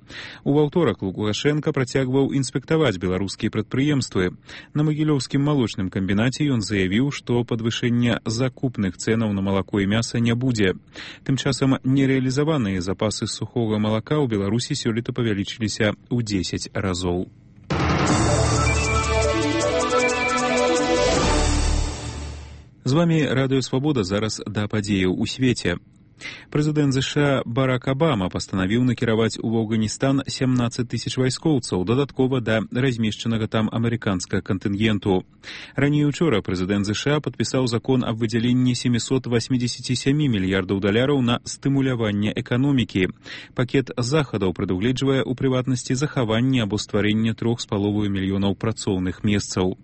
У аўторак Лукашенко працягваў інспектаваць беларускія прадпрыемствы. На Магілёўскім малочным камбінаце ён заявіў, што падвышэння закупных цэнаў на малако і мяса не будзе. Тым часам нерэалізаваныя запасы сухога малака ў Беларусі сёлета павялічыліся ў 10 разоў. З вами Радыё Свабода, зараз да падзеяў у свеце. Прэзідэнт ЗША Барак Абама пастанавіў накіраваць у Афганістан 17 тысяч вайскоўцаў, дадаткова да размешчанага там амерыканскага кантынгенту. Раней учора прэзідэнт ЗША падпісаў закон аб выдзяленні 787 мільярдаў даляраў на стымуляванне эканомікі. Пакет захадаў прадугледжвае ў прыватнасці захаванне або стварэнне 3,5 мільёнаў працоўных месцаў.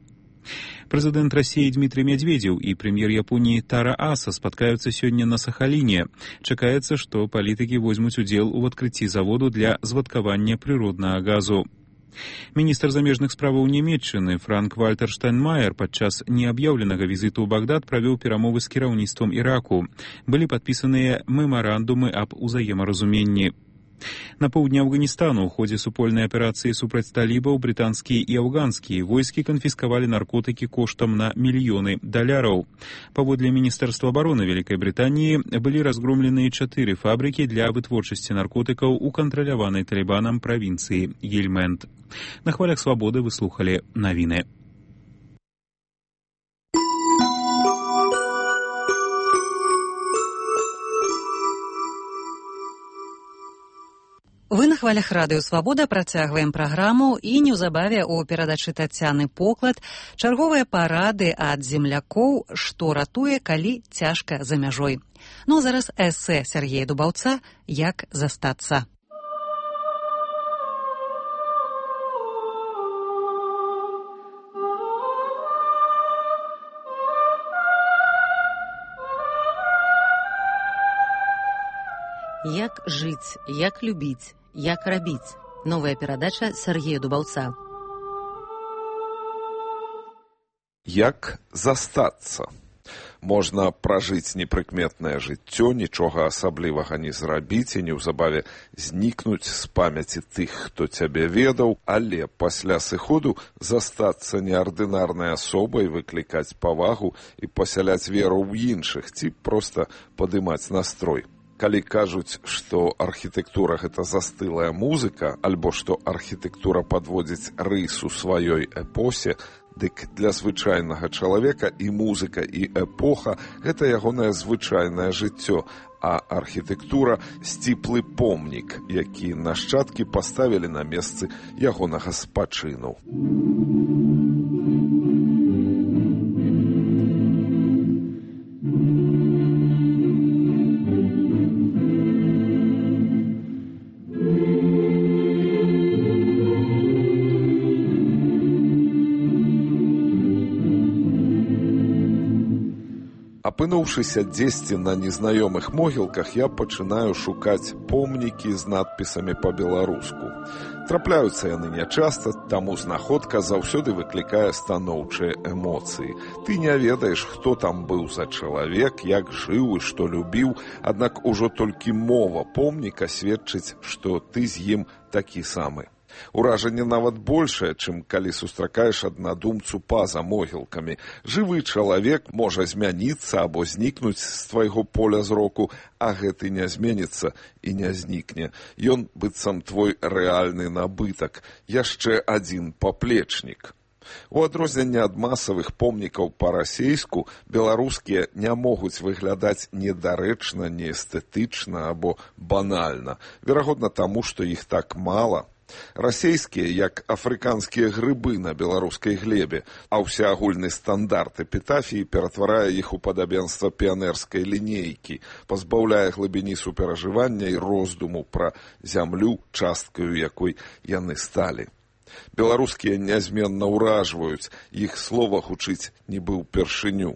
Прэзідэнт Расіі Дмітрый Медведзеў і прэм'ер Японіі Тара Аса спаткаюцца сёння на Сахаліне. Чакаецца, што палітыкі возьмуць удзел у адкрыцці заводу для звадкавання прыроднага газу. Міністр замежных справаў Нямецчыны Франк-Вальтер Штайнмаер падчас неаб'яўленага візіту ў Багдад правёў перамовы з кіраўніцтвам Іраку. Былі падпісаныя мемарандумы аб узаемаразуменні. На поўдні Афганістану ў ходзе супольнай аперацыі супраць талібаў брытанскія і афганскія войскі канфіскавалі наркотыкі коштам на мільёны даляраў. Паводле Міністэрства абароны Вялікай Брытаніі былі разгромленыя 4 фабрыкі для вытворчасці наркотыкаў у кантраляванай талібанам правінцыі Гельмэнд. На хвалях Свабоды вы слухалі навіны. Вы на хвалях Радыё Свабода працягваем праграму і неўзабаве ў перадачы Тацяны Поклад чарговыя парады ад землякоў, што ратуе, калі цяжка за мяжой. Ну а зараз эсэ Сергея Дубаўца «Як застацца». Як жыць, як любіць, як рабіць. Новая перадача Сергея Дубаўца. Як застацца? Можна пражыць непрыкметнае жыццё, нічога асаблівага не зрабіць і неўзабаве знікнуць з памяці тых, хто цябе ведаў, але пасля сыходу застацца неардынарнай асобай, выклікаць павагу і пасяляць веру ў іншых, ці проста падымаць настрой. Калі кажуць, што архітэктура – гэта застылая музыка, альбо што архітэктура падводзіць рысу сваёй эпосе, дык для звычайнага чалавека і музыка, і эпоха – гэта ягонае звычайнае жыццё, а архітэктура – сціплы помнік, які нашчадкі паставілі на месцы ягонага спачыну. – ' Апынуўшыся дзесьці на незнаёмых могілках, я пачынаю шукаць помнікі з надпісамі па-беларуску. Трапляюцца яны нячаста, таму знаходка заўсёды выклікае станоўчыя эмоцыі. Ты не ведаеш, хто там быў за чалавек, як жыў і што любіў, аднак ужо толькі мова помніка сведчыць, што ты з ім такі самы. Уражанне нават большае, чым калі сустракаеш аднадумцу па-за могілкамі. Жывы чалавек можа змяніцца або знікнуць з твайго поля зроку, а гэты не зменіцца і не знікне. Ён быццам твой рэальны набытак, яшчэ адзін паплечнік. У адрозненне ад масавых помнікаў па-расейску, беларускія не могуць выглядаць недарэчна, неэстэтычна або банальна. Верагодна таму, што іх так мала. Расейскія, як афрыканскія грыбы на беларускай глебе, а ўсеагульны стандарт эпітафіі ператварае іх у падабенства піянерскай лінейкі, пазбаўляе глыбіні суперажывання і роздуму пра зямлю, часткаю якой яны сталі. Беларускія нязменна ўражваюць, іх слова гучыць нібы ўпершыню.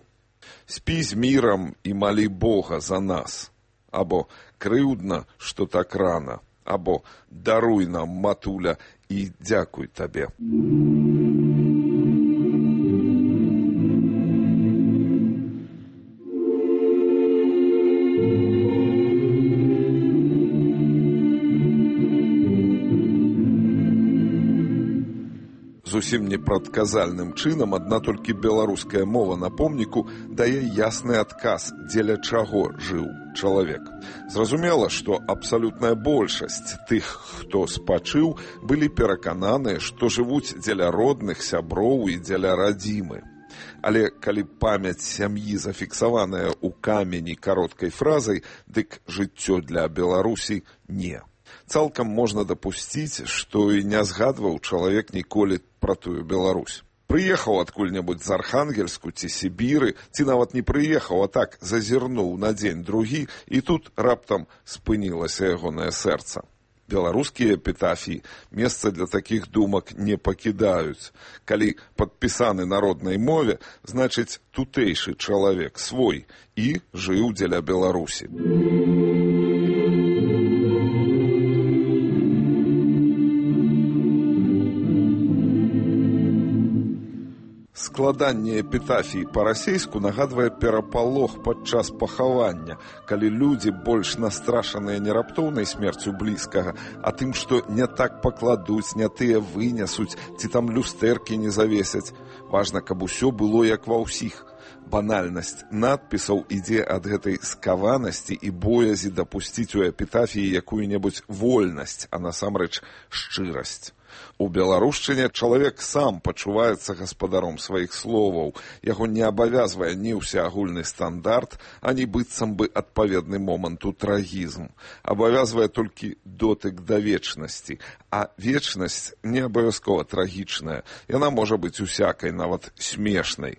«Спі з мірам і малі Бога за нас», або «Крыўдна, што так рана», або «Даруй нам, матуля, і дзякуй табе». Зусім непрадказальным чынам адна толькі беларуская мова на помніку дае ясны адказ, дзеля чаго жыў чалавек. Зразумела, што абсалютная большасць тых, хто спачыў, былі перакананыя, што жывуць дзеля родных, сяброў і дзеля радзімы. Але калі памяць сям'і зафіксаваная ў камені кароткай фразай, дык жыццё для Беларусі не. Цалкам можна дапусціць, што і не згадваў чалавек ніколі пра тую Беларусь. Прыехаў адкуль-небудзь з Архангельску ці Сібіры, ці нават не прыехаў, а так зазірнуў на дзень-другі, і тут раптам спынілася ягонае сэрца. Беларускія эпітафіі месца для такіх думак не пакідаюць. Калі падпісаны на роднай мове, значыць тутэйшы чалавек свой і жыў дзеля Беларусі. Складанне эпітафіі па-расейску нагадвае перапалох падчас пахавання, калі людзі больш настрашаныя не раптоўнай смерцю блізкага, а тым, што не так пакладуць, не тыя вынесуць, ці там люстэркі не завесяць. Важна, каб усё было як ва ўсіх. Банальнасць надпісаў ідзе ад гэтай скаванасці і боязі дапусціць у эпітафіі якую-небудзь вольнасць, а насамрэч шчырасць. У беларушчыне чалавек сам пачуваецца гаспадаром сваіх словаў. Яго не абавязвае ні ўсеагульны стандарт, ані быццам бы адпаведны моманту трагізм. Абавязвае толькі дотык да вечнасці. А вечнасць не абавязкова трагічная. Яна можа быць усякай, нават смешнай.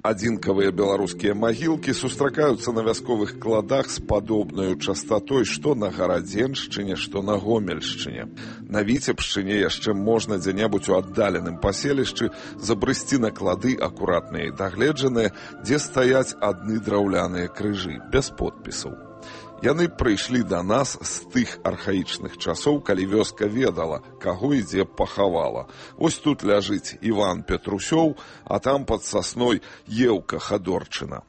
Адзінкавыя беларускія магілкі сустракаюцца на вясковых кладах з падобнаю частатой што на Гарадзеншчыне, што на Гомельшчыне. На Віцебшчыне яшчэ можна дзе-небудзь у аддаленым паселішчы забрысці на клады акуратныя і дагледжаныя, дзе стаяць адны драўляныя крыжы, без подпісаў. Яны прыйшлі да нас з тых архаічных часоў, калі вёска ведала, каго і дзе пахавала. Вось тут ляжыць Іван Петрусёў, а там пад сасной Еўка Хадорчына.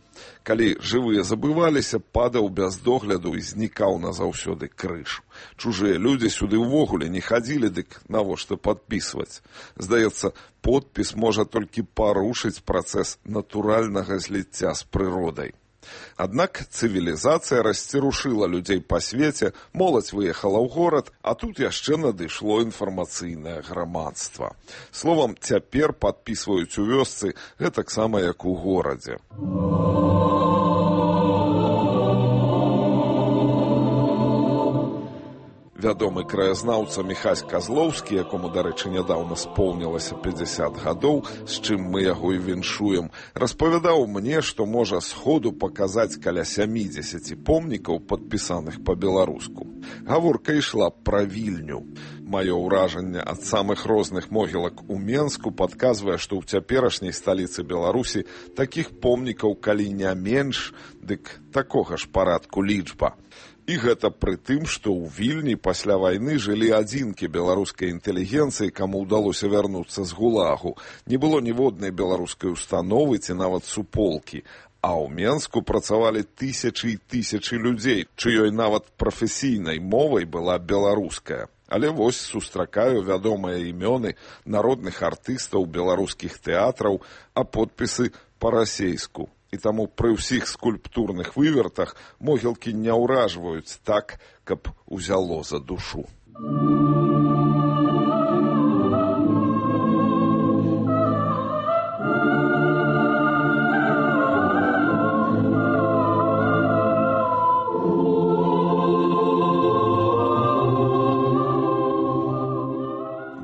Калі жывыя забываліся, падаў без догляду і знікаў назаўсёды крыж. Чужыя людзі сюды ўвогуле не хадзілі, дык навошта падпісваць? Здаецца, подпіс можа толькі парушыць працэс натуральнага зліцця з прыродай. Аднак цывілізацыя расцерушыла людзей па свеце, моладзь выехала ў горад, а тут яшчэ надышло інфармацыйнае грамадства. Словам, цяпер падпісваюць у вёсцы гэтаксама, як у горадзе. Вядомы краязнаўца Міхась Казлоўскі, якому, дарэчы, нядаўна споўнілася 50 гадоў, з чым мы яго і віншуем, распавядаў мне, што можа сходу паказаць каля 70 помнікаў, падпісаных па-беларуску. Гаворка ішла пра Вільню. Маё ўражанне ад самых розных могілак у Менску падказвае, што ў цяперашняй сталіцы Беларусі такіх помнікаў, калі не менш, дык такога ж парадку лічба. І гэта пры тым, што ў Вільні пасля вайны жылі адзінкі беларускай інтэлігенцыі, каму ўдалося вярнуцца з ГУЛАГу. Не было ніводнай беларускай установы ці нават суполкі. А ў Менску працавалі тысячы і тысячы людзей, чыёй нават прафесійнай мовай была беларуская. Але вось сустракаю вядомыя імёны народных артыстаў беларускіх тэатраў, а подпісы па-расейску. І таму пры ўсіх скульптурных вывертах могілкі не ўражваюць так, каб узяло за душу.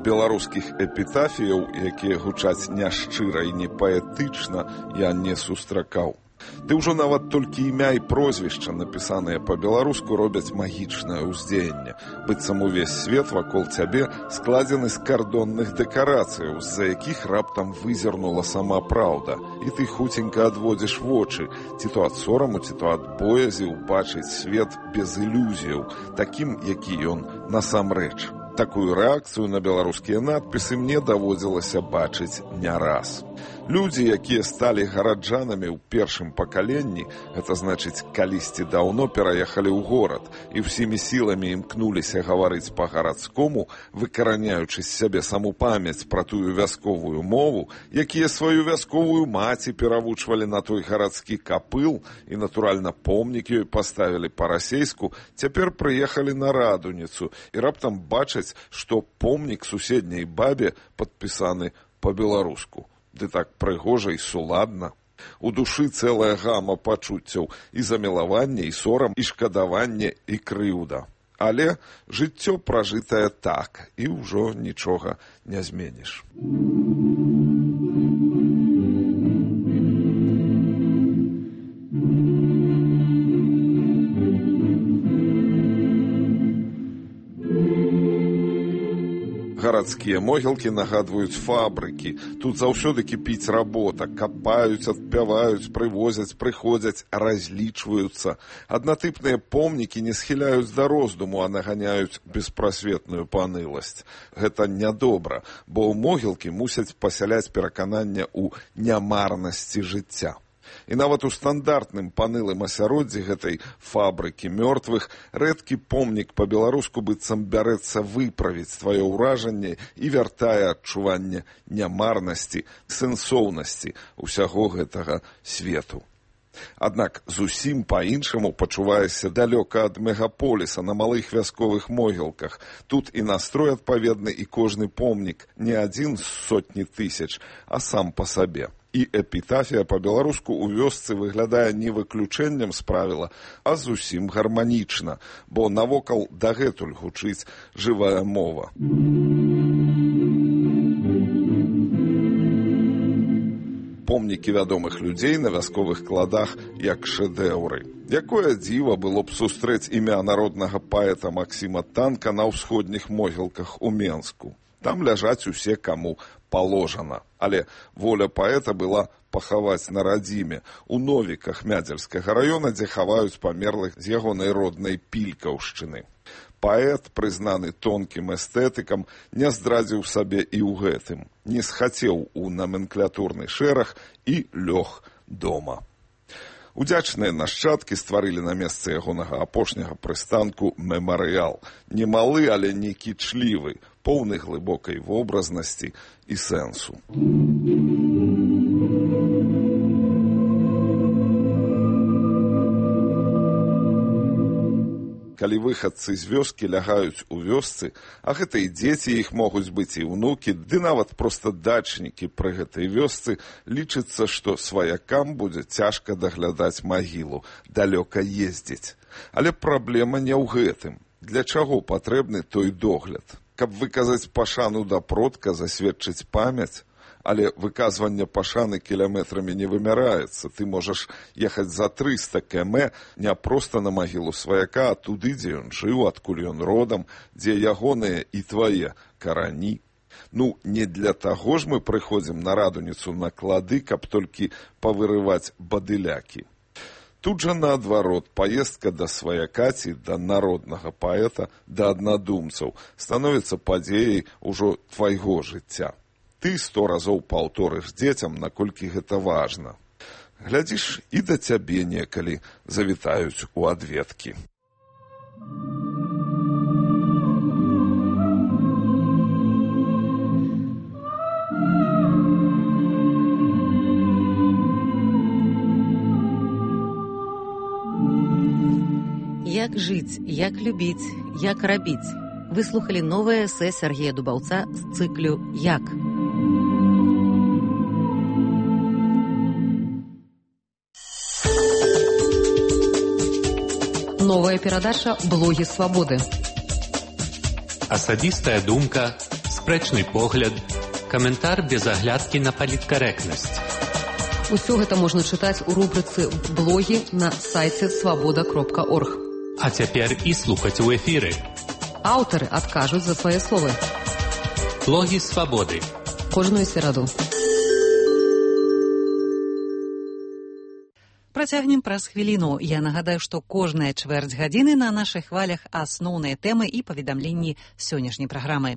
Беларускіх эпітафіяў, якія гучаць няшчыра і непаэтычна, я не сустракаў. Ды ўжо нават толькі імя і прозвішча, напісаныя па-беларуску, робяць магічнае ўздзеянне. Быццам увесь свет вакол цябе складзены з кардонных дэкарацыяў, з-за якіх раптам вызірнула сама праўда. І ты хуценька адводзіш вочы, ці то ад сораму, ці то ад боязі ўбачыць свет без ілюзіяў, такім, які ён насамрэч. Такую рэакцыю на беларускія надпісы мне даводзілася бачыць не раз. Людзі, якія сталі гараджанамі ў першым пакаленні, гэта значыць, калісьці даўно пераехалі ў горад і ўсімі сіламі імкнуліся гаварыць па-гарадскому, выкараняючы з сябе саму памяць пра тую вясковую мову, якія сваю вясковую маці перавучвалі на той гарадскі капыл і, натуральна, помнік ёй паставілі па-расейску, цяпер прыехалі на Радуніцу і раптам бачаць, што помнік суседняй бабе падпісаны па-беларуску. Ды так прыгожа і суладна. У душы цэлая гама пачуццяў і замілаванне, і сорам, і шкадаванне, і крыўда. Але жыццё пражытае так, і ўжо нічога не зменіш. Гарадскія могілкі нагадваюць фабрыкі. Тут заўсёды кіпіць работа. Капаюць, адпяваюць, прывозяць, прыходзяць, разлічваюцца. Аднатыпныя помнікі не схіляюць да роздуму, а наганяюць беспрасветную паныласць. Гэта нядобра, бо могілкі мусяць пасяляць перакананне ў нямарнасці жыцця. І нават у стандартным панылым асяроддзі гэтай фабрыкі мёртвых рэдкі помнік па-беларуску быццам бярэцца выправіць тваё ўражанне і вяртае адчуванне нямарнасці, сэнсоўнасці ўсяго гэтага свету. Аднак зусім па-іншаму пачуваешся далёка ад мегаполіса на малых вясковых могілках. Тут і настрой адпаведны, і кожны помнік не адзін з сотні тысяч, а сам па сабе. І эпітафія па-беларуску ў вёсцы выглядае не выключэннем з правіла, а зусім гарманічна, бо навокал дагэтуль гучыць жывая мова. Помнікі вядомых людзей на вясковых кладах як шэдэўры. Якое дзіва было б сустрэць імя народнага паэта Максіма Танка на ўсходніх могілках у Менску. Там ляжаць усе, каму паложана. Але воля паэта была пахаваць на радзіме, у Новіках Мядзельскага раёна, дзе хаваюць памерлых з ягонай роднай Пількаўшчыны. Паэт, прызнаны тонкім эстэтыкам, не здрадзіў сабе і ў гэтым, не схацеў у наменклятурны шэраг і лёг дома. Удзячныя нашчадкі стварылі на месцы ягонага апошняга прыстанку мемарыял. Немалы, але не кічлівы, поўны глыбокай вобразнасці і сэнсу. Калі выхадцы з вёскі лягаюць у вёсцы, а гэта і дзеці іх могуць быць і ўнукі, ды нават проста дачнікі пры гэтай вёсцы, лічыцца, што сваякам будзе цяжка даглядаць магілу, далёка ездзіць. Але праблема не ў гэтым. Для чаго патрэбны той догляд? Каб выказаць пашану да продка, засведчыць памяць? Але выказванне пашаны кіламетрамі не вымяраецца. Ты можаш ехаць за 300 км не проста на магілу сваяка, а туды, дзе ён жыў, адкуль ён родам, дзе ягоныя і твае карані. Ну, не для таго ж мы прыходзім на радуніцу на клады, каб толькі павырываць бадылякі. Тут жа наадварот, паездка да сваяка ці да народнага паэта, да аднадумцаў становіцца падзеяй ужо твайго жыцця. Ты 100 разоў паўторыш дзецям, наколькі гэта важна. Глядзіш, і да цябе некалі завітаюць у адведкі. Як жыць, як любіць, як рабіць. Выслухалі новае эсэ Сергея Дубаўца з цыклю «Як». Новая перадача «Блогі свабоды». Асабістая думка, спрэчны погляд, каментар без аглядкі на паліткарэктнасць. Усё гэта можна чытаць у рубрыцы «Блогі» на сайце свабода.орг. А цяпер і слухаць у эфіры. Аўтары адкажуць за свае словы. Блогі свабоды. Кожную сераду. Працягнем праз хвіліну. Я нагадаю, што кожная чвэрць гадзіны на нашых хвалях асноўныя тэмы і паведамленні сённяшняй праграмы.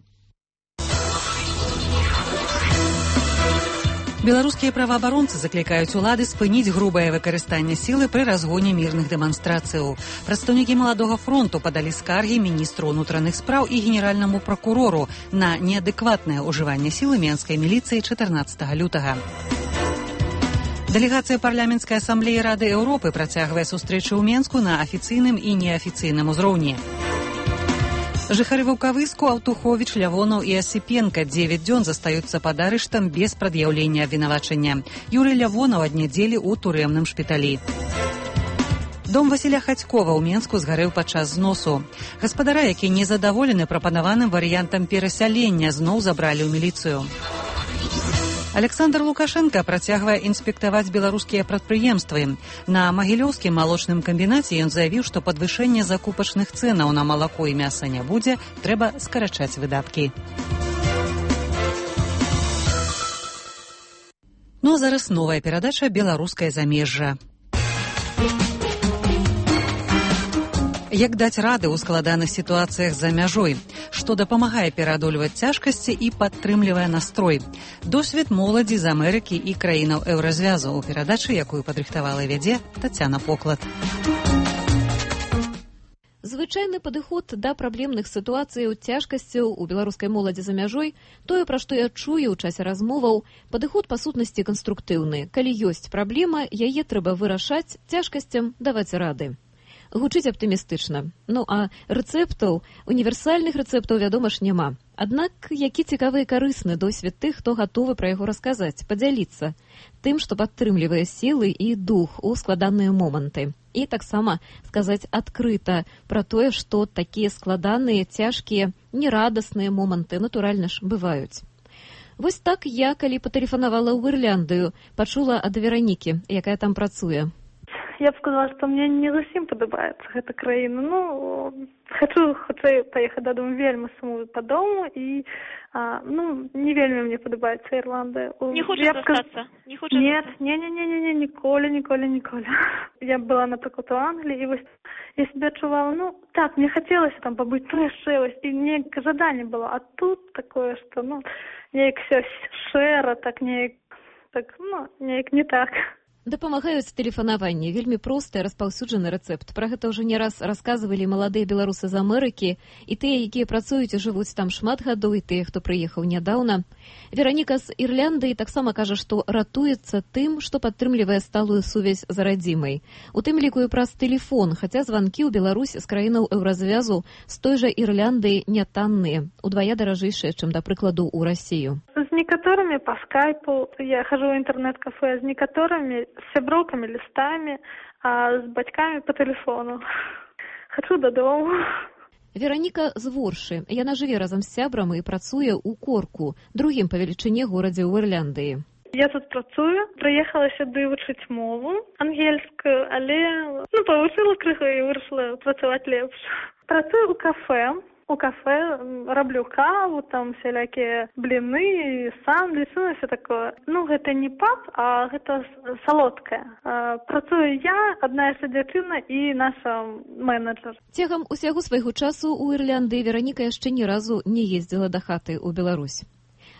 Беларускія праваабаронцы заклікаюць улады спыніць грубае выкарыстанне сілы пры разгоне мірных дэманстрацыяў. Прадстаўнікі маладога фронту падалі скаргі міністру ўнутраных спраў і генеральнаму пракурору на неадэкватнае ўжыванне сілы менскай міліцыі 14 лютага. Дэлегацыя парламенцкай асамблеі Рады Еўропы працягвае сустрэчы ў Менску на афіцыйным і неафіцыйным узроўні. Жыхары Ваўкавыску, Аўтуховіч, Лявонаў і Асіпенка 9 дзён застаюцца пад арыштам без прад'яўлення абвінавачання. Юрый Лявонаў ад нядзелі ў турэмным шпіталі. Дом Васіля Хацькова ў Менску згарэў падчас зносу. Гаспадара, які незадаволены прапанаваным варыянтам перасялення, зноў забралі ў міліцыю. Александр Лукашенко працягвае інспектаваць беларускія прадпрыемствы. На магілёўскім малочным камбінаце ён заявіў, што падвышэння закупачных цэнаў на малако і мяса не будзе, трэба скарачаць выдаткі. Ну а зараз новая перадача «Беларускае замежжа». Як даць рады ў складаных сітуацыях за мяжой, што дапамагае пераадольваць цяжкасці і падтрымлівае настрой. Досвед моладзі з Амерыкі і краінаў еўразвязу ў перадачы, якую падрыхтавала і вядзе Тацяна Поклад. Звычайны падыход да праблемных сітуацыяў цяжкасцяў у беларускай моладзі за мяжой, тое, пра што я чую ў часе размоваў, падыход па сутнасці канструктыўны. Калі ёсць праблема, яе трэба вырашаць, цяжкасцям даваць рады. Гучыць аптымістычна. Ну, а рэцэптаў, універсальных рэцэптаў, вядома ж, няма. Аднак, які цікавы і карысны досвед тых, хто гатовы пра яго расказаць, падзяліцца тым, што падтрымлівае сілы і дух у складаныя моманты. І таксама сказаць адкрыта пра тое, што такія складаныя, цяжкія, нерадасныя моманты, натуральна ж, бываюць. Вось так я, калі патэлефанавала ў Ірляндыю, пачула ад Веранікі, якая там працуе. Я б сказала, што мне не зусім падабаецца гэта краіна. Ну, хутчэй паехаць дадому, вельмі сумую па дому і не вельмі мне падабаецца Ірландыя. Не хочаш застацца? Нет, ніколі. Я была, напрыклад, у Англіі, і вось я себе адчувала, так, мне хацелася там пабыць прышэласць, і неяк жаданне было, а тут такое, што, неяк все шэра, так неяк не так. Дапамагаюць тэлефанаванні. Вельмі просты, распаўсюджаны рэцэпт. Пра гэта ўжо не раз расказвалі маладыя беларусы з Амерыкі, і тыя, якія працуюць і жывуць там шмат гадоў, і тыя, хто прыехаў нядаўна. Вераніка з Ірландыі таксама кажа, што ратуецца тым, што падтрымлівае сталую сувязь з радзімай. У тым ліку і праз тэлефон, хаця званкі ў Беларусь з краінаў еўразвязу з той жа Ірландыі не танныя, удвая даражэйшыя, чым, да прыкладу, у Расію. З некаторымі па скайпу, я хожу ў інтэрнэт-кафе, з некаторымі з сяброўкамі, лістамі, а з бацькамі па тэлефону. Хачу дадому. Вераніка з Воршы. Яна жыве разам з сябрам і працуе ў Корку, другім па велічыні горадзе ў Ірландыі. Я тут працую, прыехала сюды вучыць мову ангельскую, але павучыла крыху і вырашыла працаваць лепш. Працую ў кафе. У кафе раблю каву, там всякие блины, сандвичи, все такое. Гэта не паб, а гэта салодкае. Працую я, адна яшчэ дзяўчына і наша менеджер. Цягам усяго свайго часу ў Ірландыі Вераніка яшчэ ні разу не ездзіла да хаты ў Беларусь.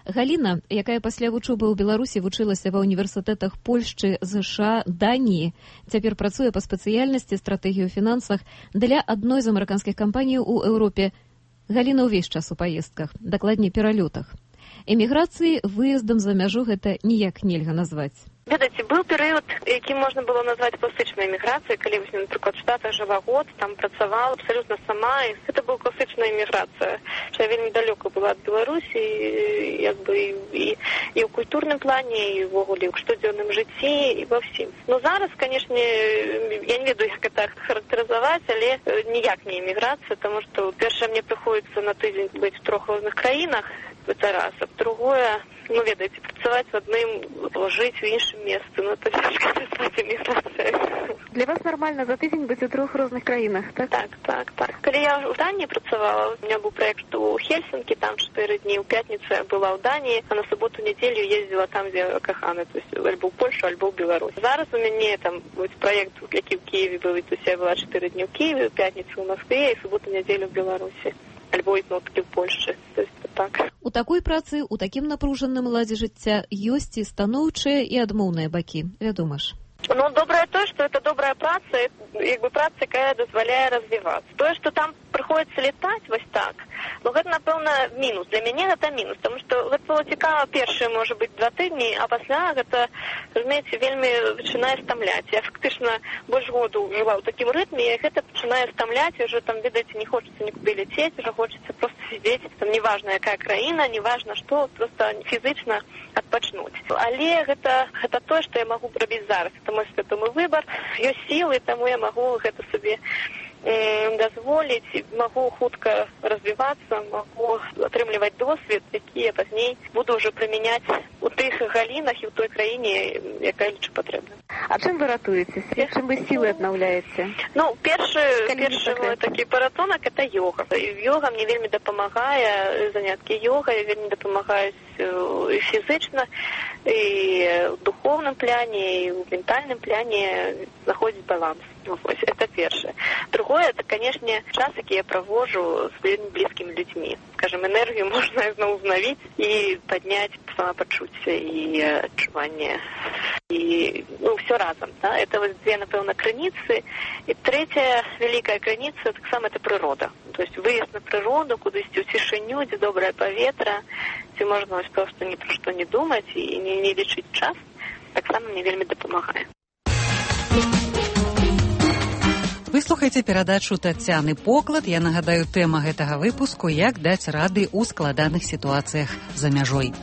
Галіна, якая пасля вучобы ў Беларусі вучылася ва універсітэтах Польшчы, ЗША, Даніі, цяпер працуе па спецыяльнасці стратэгію ў фінансах для адной з амерыканскіх кампаній у Еўропе. Галіна ўвесь час у паездках, дакладней пералётах. Эміграцыі выездам за мяжу гэта ніяк нельга назваць. Ведаеце, быў перыяд, які можна было назваць класычнай эміграцыяй, калі, напрыклад, в Штатах жыла год, там працавала абсалютна сама, і гэта была класычная эміграцыя, што я вельмі далёка была ад Беларусі, і ў культурным плане, і ўвогуле ў штодзённым жыцці, і ва ўсім. Зараз, канешне, я не ведаю, як гэта характарызаваць, але ніяк не эміграцыя, таму што, першае, мне прыходзіцца на тыдзень быць у 3 розных краінах, это раз, а другое, ведаеце, працаваць в адным, жыць у іншым месцы, это цяжка назваць эміграцыяй. Для вас нармальна за тыдзень быць у 3 розных краінах, так? Так. Калі я ў Даніі працавала, у меня быў праект у Хельсінкі, там 4 дні, у пятніцу я была ў Даніі, а на суботу-нядзелю ездзіла там, дзе кахана, то есть альбо ў Польшу, альбо ў Беларусь. Зараз у мяне там праект, які ў Киеве быў, то есть я была 4 дні ў Киеве, у пятніцу ў Москве і суботу-нядзелю ў Беларусі. Альбо ізноўкі ў Польшчы. Так. У такой працы, у такім напружаным ладзе жыцця ёсць і станоўчыя, і адмоўныя бакі, вядома ж. Добрае тое, што это добрая праца, праца, якая дазваляе развівацца. Тое, што там прыходзіцца летаць вось так, гэта, напэўна, мінус. Для мяне гэта мінус, таму што гэта было цікава першыя, можа быць, 2 тыдні, а пасля гэта, разумееце, вельмі пачынае стамляць. Я фактычна больш году жыла ў такім рытме, і гэта пачынае стамляць, і ўжо там, ведаеце, не хочацца нікуды ляцець, уже хочацца проста сидзець, там неважна, якая краіна, неважна што, проста фізычна адпачнуць. Але гэта тое, што я магу рабіць зараз. Это мой свядомы выбар, ёсць сілы, таму я магу гэта сабе дазволіць, магу хутка развівацца, магу атрымліваць досвед, які я пазней буду ўжо прымяняць у тых галінах і ў той краіне, якая лічу патрэбна. А чым вы ратуецеся? Чым вы сілы аднаўляеце? Першы мой такі паратонак – это йога. Йога мне вельмі дапамагае, заняткі йогай вельмі дапамагаюць і фізычна, і ў духовным пляне, і ў ментальным пляне знаходзіць баланс. Это першае. Другое, это, конечно, час, які я провожу с своими близкими людьми. Скажем, энергию можно снова узнавить и поднять самопочуття и отчувание. И, все разом. Да? Это вот две, напевно, крыніцы. И третья великая крыніца, так само, это природа. То есть выезд на природу, кудись у тишиню, где доброе поветра, где можно просто ни про что не думать и не лечить час, так само мне вельмі дапамагае. Вы слухаеце перадачу Тацяны Поклад. Я нагадаю, тэма гэтага выпуску – як даць рады ў складаных сітуацыях за мяжой.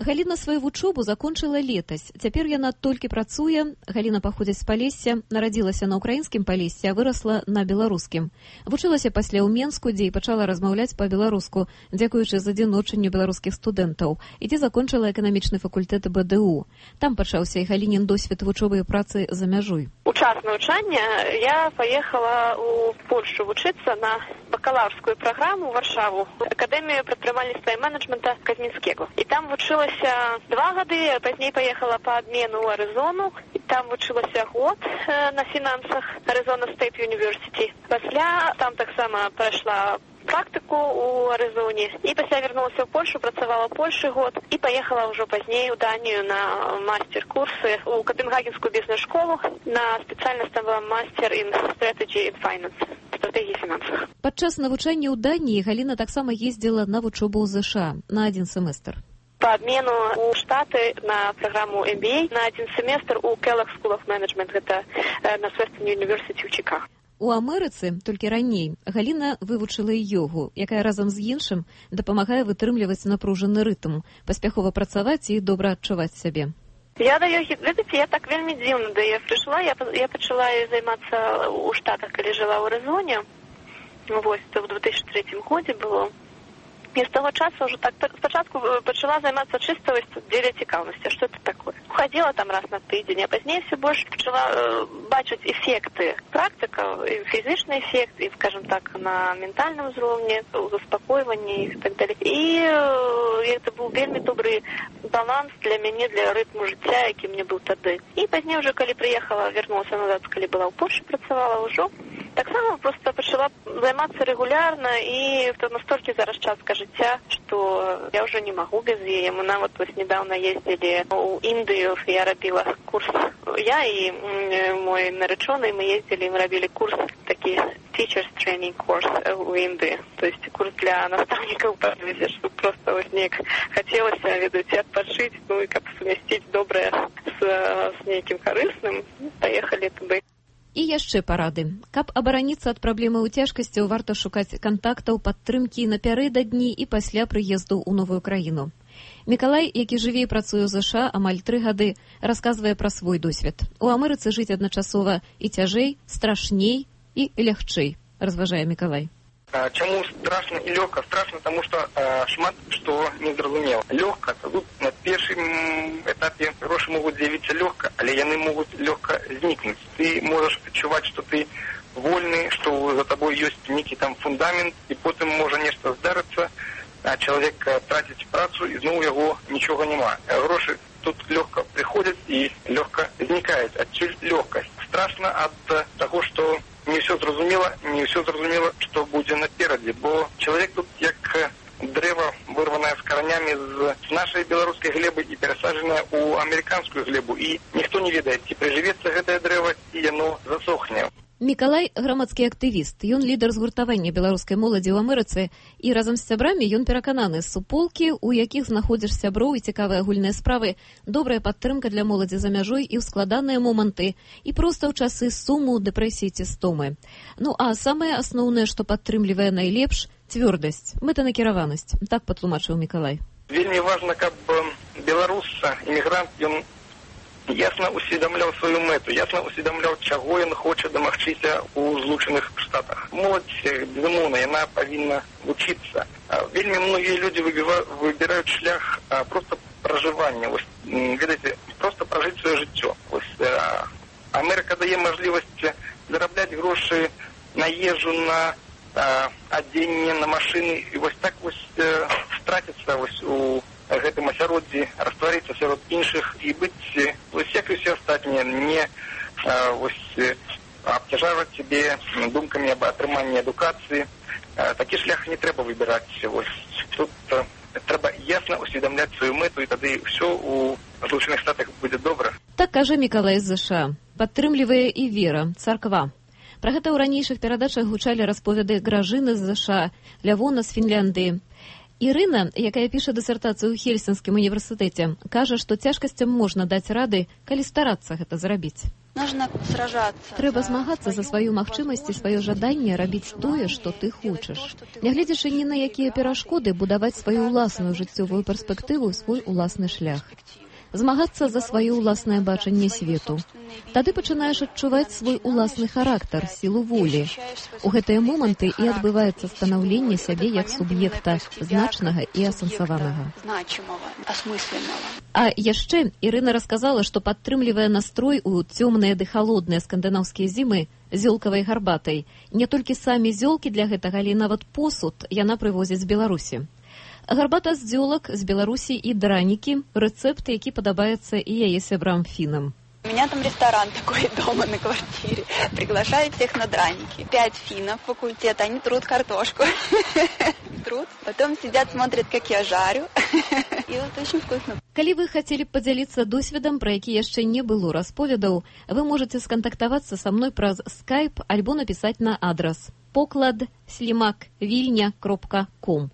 Галіна сваю вучобу закончыла летась. Цяпер яна толькі працуе. Галіна паходзіць з Палесся, нарадзілася на ўкраінскім Палессі, а вырасла на беларускім. Вучылася пасля ў Менску, дзе і пачала размаўляць па-беларуску, дзякуючы задзіночанню беларускіх студэнтаў, і дзе закончыла эканамічны факультэт БДУ. Там пачаўся і Галінін досвед вучобы і працы за мяжой. У час навучання я паехала ў Польшу вучыцца на бакалаўрскую праграму ў Варшаву, акадэмію прадпрымальніцтва і менеджмента Казмінскега. І там вучылася 2 гады, а пазней поехала по обмену в Аризону. И там вучылася год на финансах Arizona State University. Пасля там так само пройшла практику у Аризоне. И пасля вернулася в Польшу, працавала в Польше год. И поехала уже позднее в Данию на мастер-курсы у Копенгагенскую бизнес-школу. На специальность там была мастер in strategy and finance. Стратегії фінансах. Падчас навучання ў Даніі Галіна таксама ездзіла на вучобу ў ЗША на 1 семестр. По обмену у Штаты на программу MBA на 1 семестр у Kellogg School of Management, это на Western University ў Чикаго. У Амерыцы, толькі раней, Галіна вывучыла і йогу, якая разам з іншым дапамагае вытрымліваць напружаны рытм, паспяхова працаваць і добра адчуваць сябе. Я да ёгі, ведаеце, я так вельмі дзіўна да яе прыйшла. Я пачала займацца ў Штатах, калі жила ў Арызоне. Вось, то в 2003 годзе было. І з таго часу ўжо так спачатку пачала займацца чыста дзеля цікаўнасці, што это такое. Ходила там раз на тыдзень, а пазней все больш пачала бачыць эфекты практыкаў, фізічны эфект, і, скажем так, на ментальным узроўні, у заспакойванні і так далее. І это быў вельмі добры баланс для мяне, для рытму жыцця, які мне быў тады. І пазней уже, калі прыехала, вярнулася назад, калі была ў Польшчы, працавала ўжо, таксама просто пачала займацца рэгулярна, і то настолькі зараз частка жыцця, што я ўжо не магу без яе. Мы нават вось недавно ездзілі ў Індыю, я рабіла курс. Я і мой наречоны, мы ездзілі, мы рабілі курс, такі teachers training course у Індыі. То есть курс для настаўнікаў, што просто вось неяк хацелася, ведаеце, адпачыць, ну і каб сумясціць добрае з нейкім карысным, паехалі туды. І яшчэ парады. Каб абараніцца ад праблемаў цяжкасцяў, варта шукаць кантактаў, падтрымкі напярэдадні і пасля прыезду ў новую краіну. Мікалай, які жыве і працуе ў ЗША амаль 3 гады, расказвае пра свой досвед. У Амерыцы жыць адначасова і цяжэй, страшней і лягчэй, разважае Мікалай. Чаму страшна і лёгка? Страшна, таму што шмат што незразумела. Лёгка, тут на першым этапе грошы могуць з'явіцца лёгка, але яны могуць лёгка знікнуць. Ты можаш адчуваць, што ты вольны, што за табой ёсць нейкі там фундамент, і потым можа нешта здарыцца, а чалавек траціць працу, і зноў яго нічога няма. Грошы тут лёгка прыходзяць і лёгка знікаюць. Адсюль лёгкасць. Страшна ад таго, што не ўсё зразумела, што будзе наперадзе, бо чалавек тут як дрэва, вырванае з каранямі з нашай беларускай глебы і перасаджанае ў амерыканскую глебу, і ніхто не ведае, ці прыжывецца гэтае дрэва, ці яно засохне. Мікалай – грамадскі актывіст. Ён лідар згуртавання беларускай моладзі ў Амерыцы, і разам з сябрамі ён перакананы, суполкі, у якіх знаходзіш сяброў і цікавыя агульныя справы, добрая падтрымка для моладзі за мяжой і ў складаныя моманты, і проста ў часы суму, дэпрэсіі ці стомы. Ну а самае асноўнае, што падтрымлівае найлепш – цвёрдасць, мэтанакіраванасць. Так патлумачыў Мікалай. Вельмі важна, каб беларус, імігрант, ён ясна усведамляў сваю мэту, ясна усведамляў, чаго ён хоча дамагчыся ў Злучаных Штатах. Моладзь, безумоўна, яна павінна вучыцца. Вельмі многія людзі выбіраюць шлях проста пражывання. Вось, ведаеце, проста пражыць сваё жыццё. Вось, Амерыка дае мажлівасць зарабляць грошы на ежу, на адзенне, на машыны, і вось так вось страціцца вось у гэтым асяроддзі, растварыцца сярод іншых і быць, вось як і ўсе астатнія, не абцяжаваць сябе думкамі аб атрыманні адукацыі. Такі шлях не трэба выбіраць. Вось тут трэба ясна усведамляць сваю мэту, і тады ўсё у Злучаных Штатах будзе добра. Так кажа Мікалай з ЗША. Падтрымлівае і вера, царква. Пра гэта ў ранейшых перадачах гучалі расповеды Гражыны з ЗША, Лявона з Фінляндыі. Ірына, якая піша дысертацыю ў Хельсінскім універсітэце, кажа, што цяжкасцям можна даць рады, калі старацца гэта зрабіць. Трэба змагацца за сваю магчымасць і сваё жаданне рабіць тое, што ты хочаш. Нягледзячы ні на якія перашкоды, будаваць сваю ўласную жыццёвую перспектыву, свой уласны шлях. Змагацца за сваё ўласнае бачанне свету. Тады пачынаеш адчуваць свой уласны характар, сілу волі. У гэтыя моманты і адбываецца станаўленне сябе як суб'екта значнага і асэнсаванага. А яшчэ Ірына расказала, што падтрымлівае настрой у цёмныя ды халодныя скандынаўскія зімы зёлкавай гарбатай. Не толькі самі зёлкі для гэтага, але нават посуд яна прывозіць з Беларусі. Гарбата з дзёлак з Беларусі і дранікі – рэцэпт, які падабаецца і яе сябрам-фінам. У меня там ресторан такой дома на квартире. Приглашают всех на драники. 5 финнов факультета, они трут картошку. Трут. Потом сидят, смотрят, как я жарю. И вот очень вкусно. Калі вы хацелі б падзяліцца досведам, пра які яшчэ не было расповедаў, вы можаце скантактавацца са мной праз Skype альбо напісаць на адрас poklad@vilnia.com.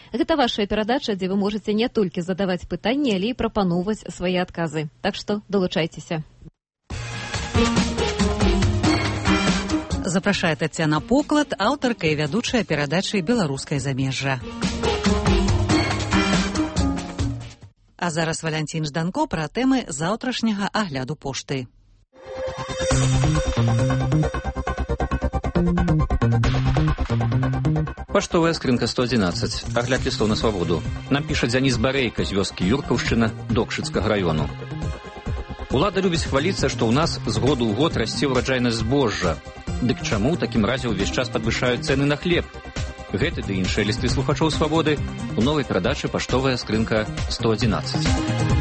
Гэта вашая перадача, дзе вы можаце не толькі задаваць пытанні, але і прапаноўваць свае адказы. Так што далучайцеся. Запрашае Тацяна Поклад, аўтарка і вядучая перадачы «Беларускае замежжа». А зараз Валянцін Жданко пра тэмы заўтрашняга агляду пошты. Паштовая скрынка 111. Агляд лістоў на свабоду. Нам піша Дзяніс Барейка з вёскі Юркаўшчына Докшыцкага раёну. Улада любіць хваліцца, што ў нас з году ў год расце ўраджайнасць збожжа. Дык чаму ў такім разе ўвесь час падвышаюць цэны на хлеб? Гэты ды іншыя лісты слухачоў свабоды у новай перадачы «Паштовая скрынка 111».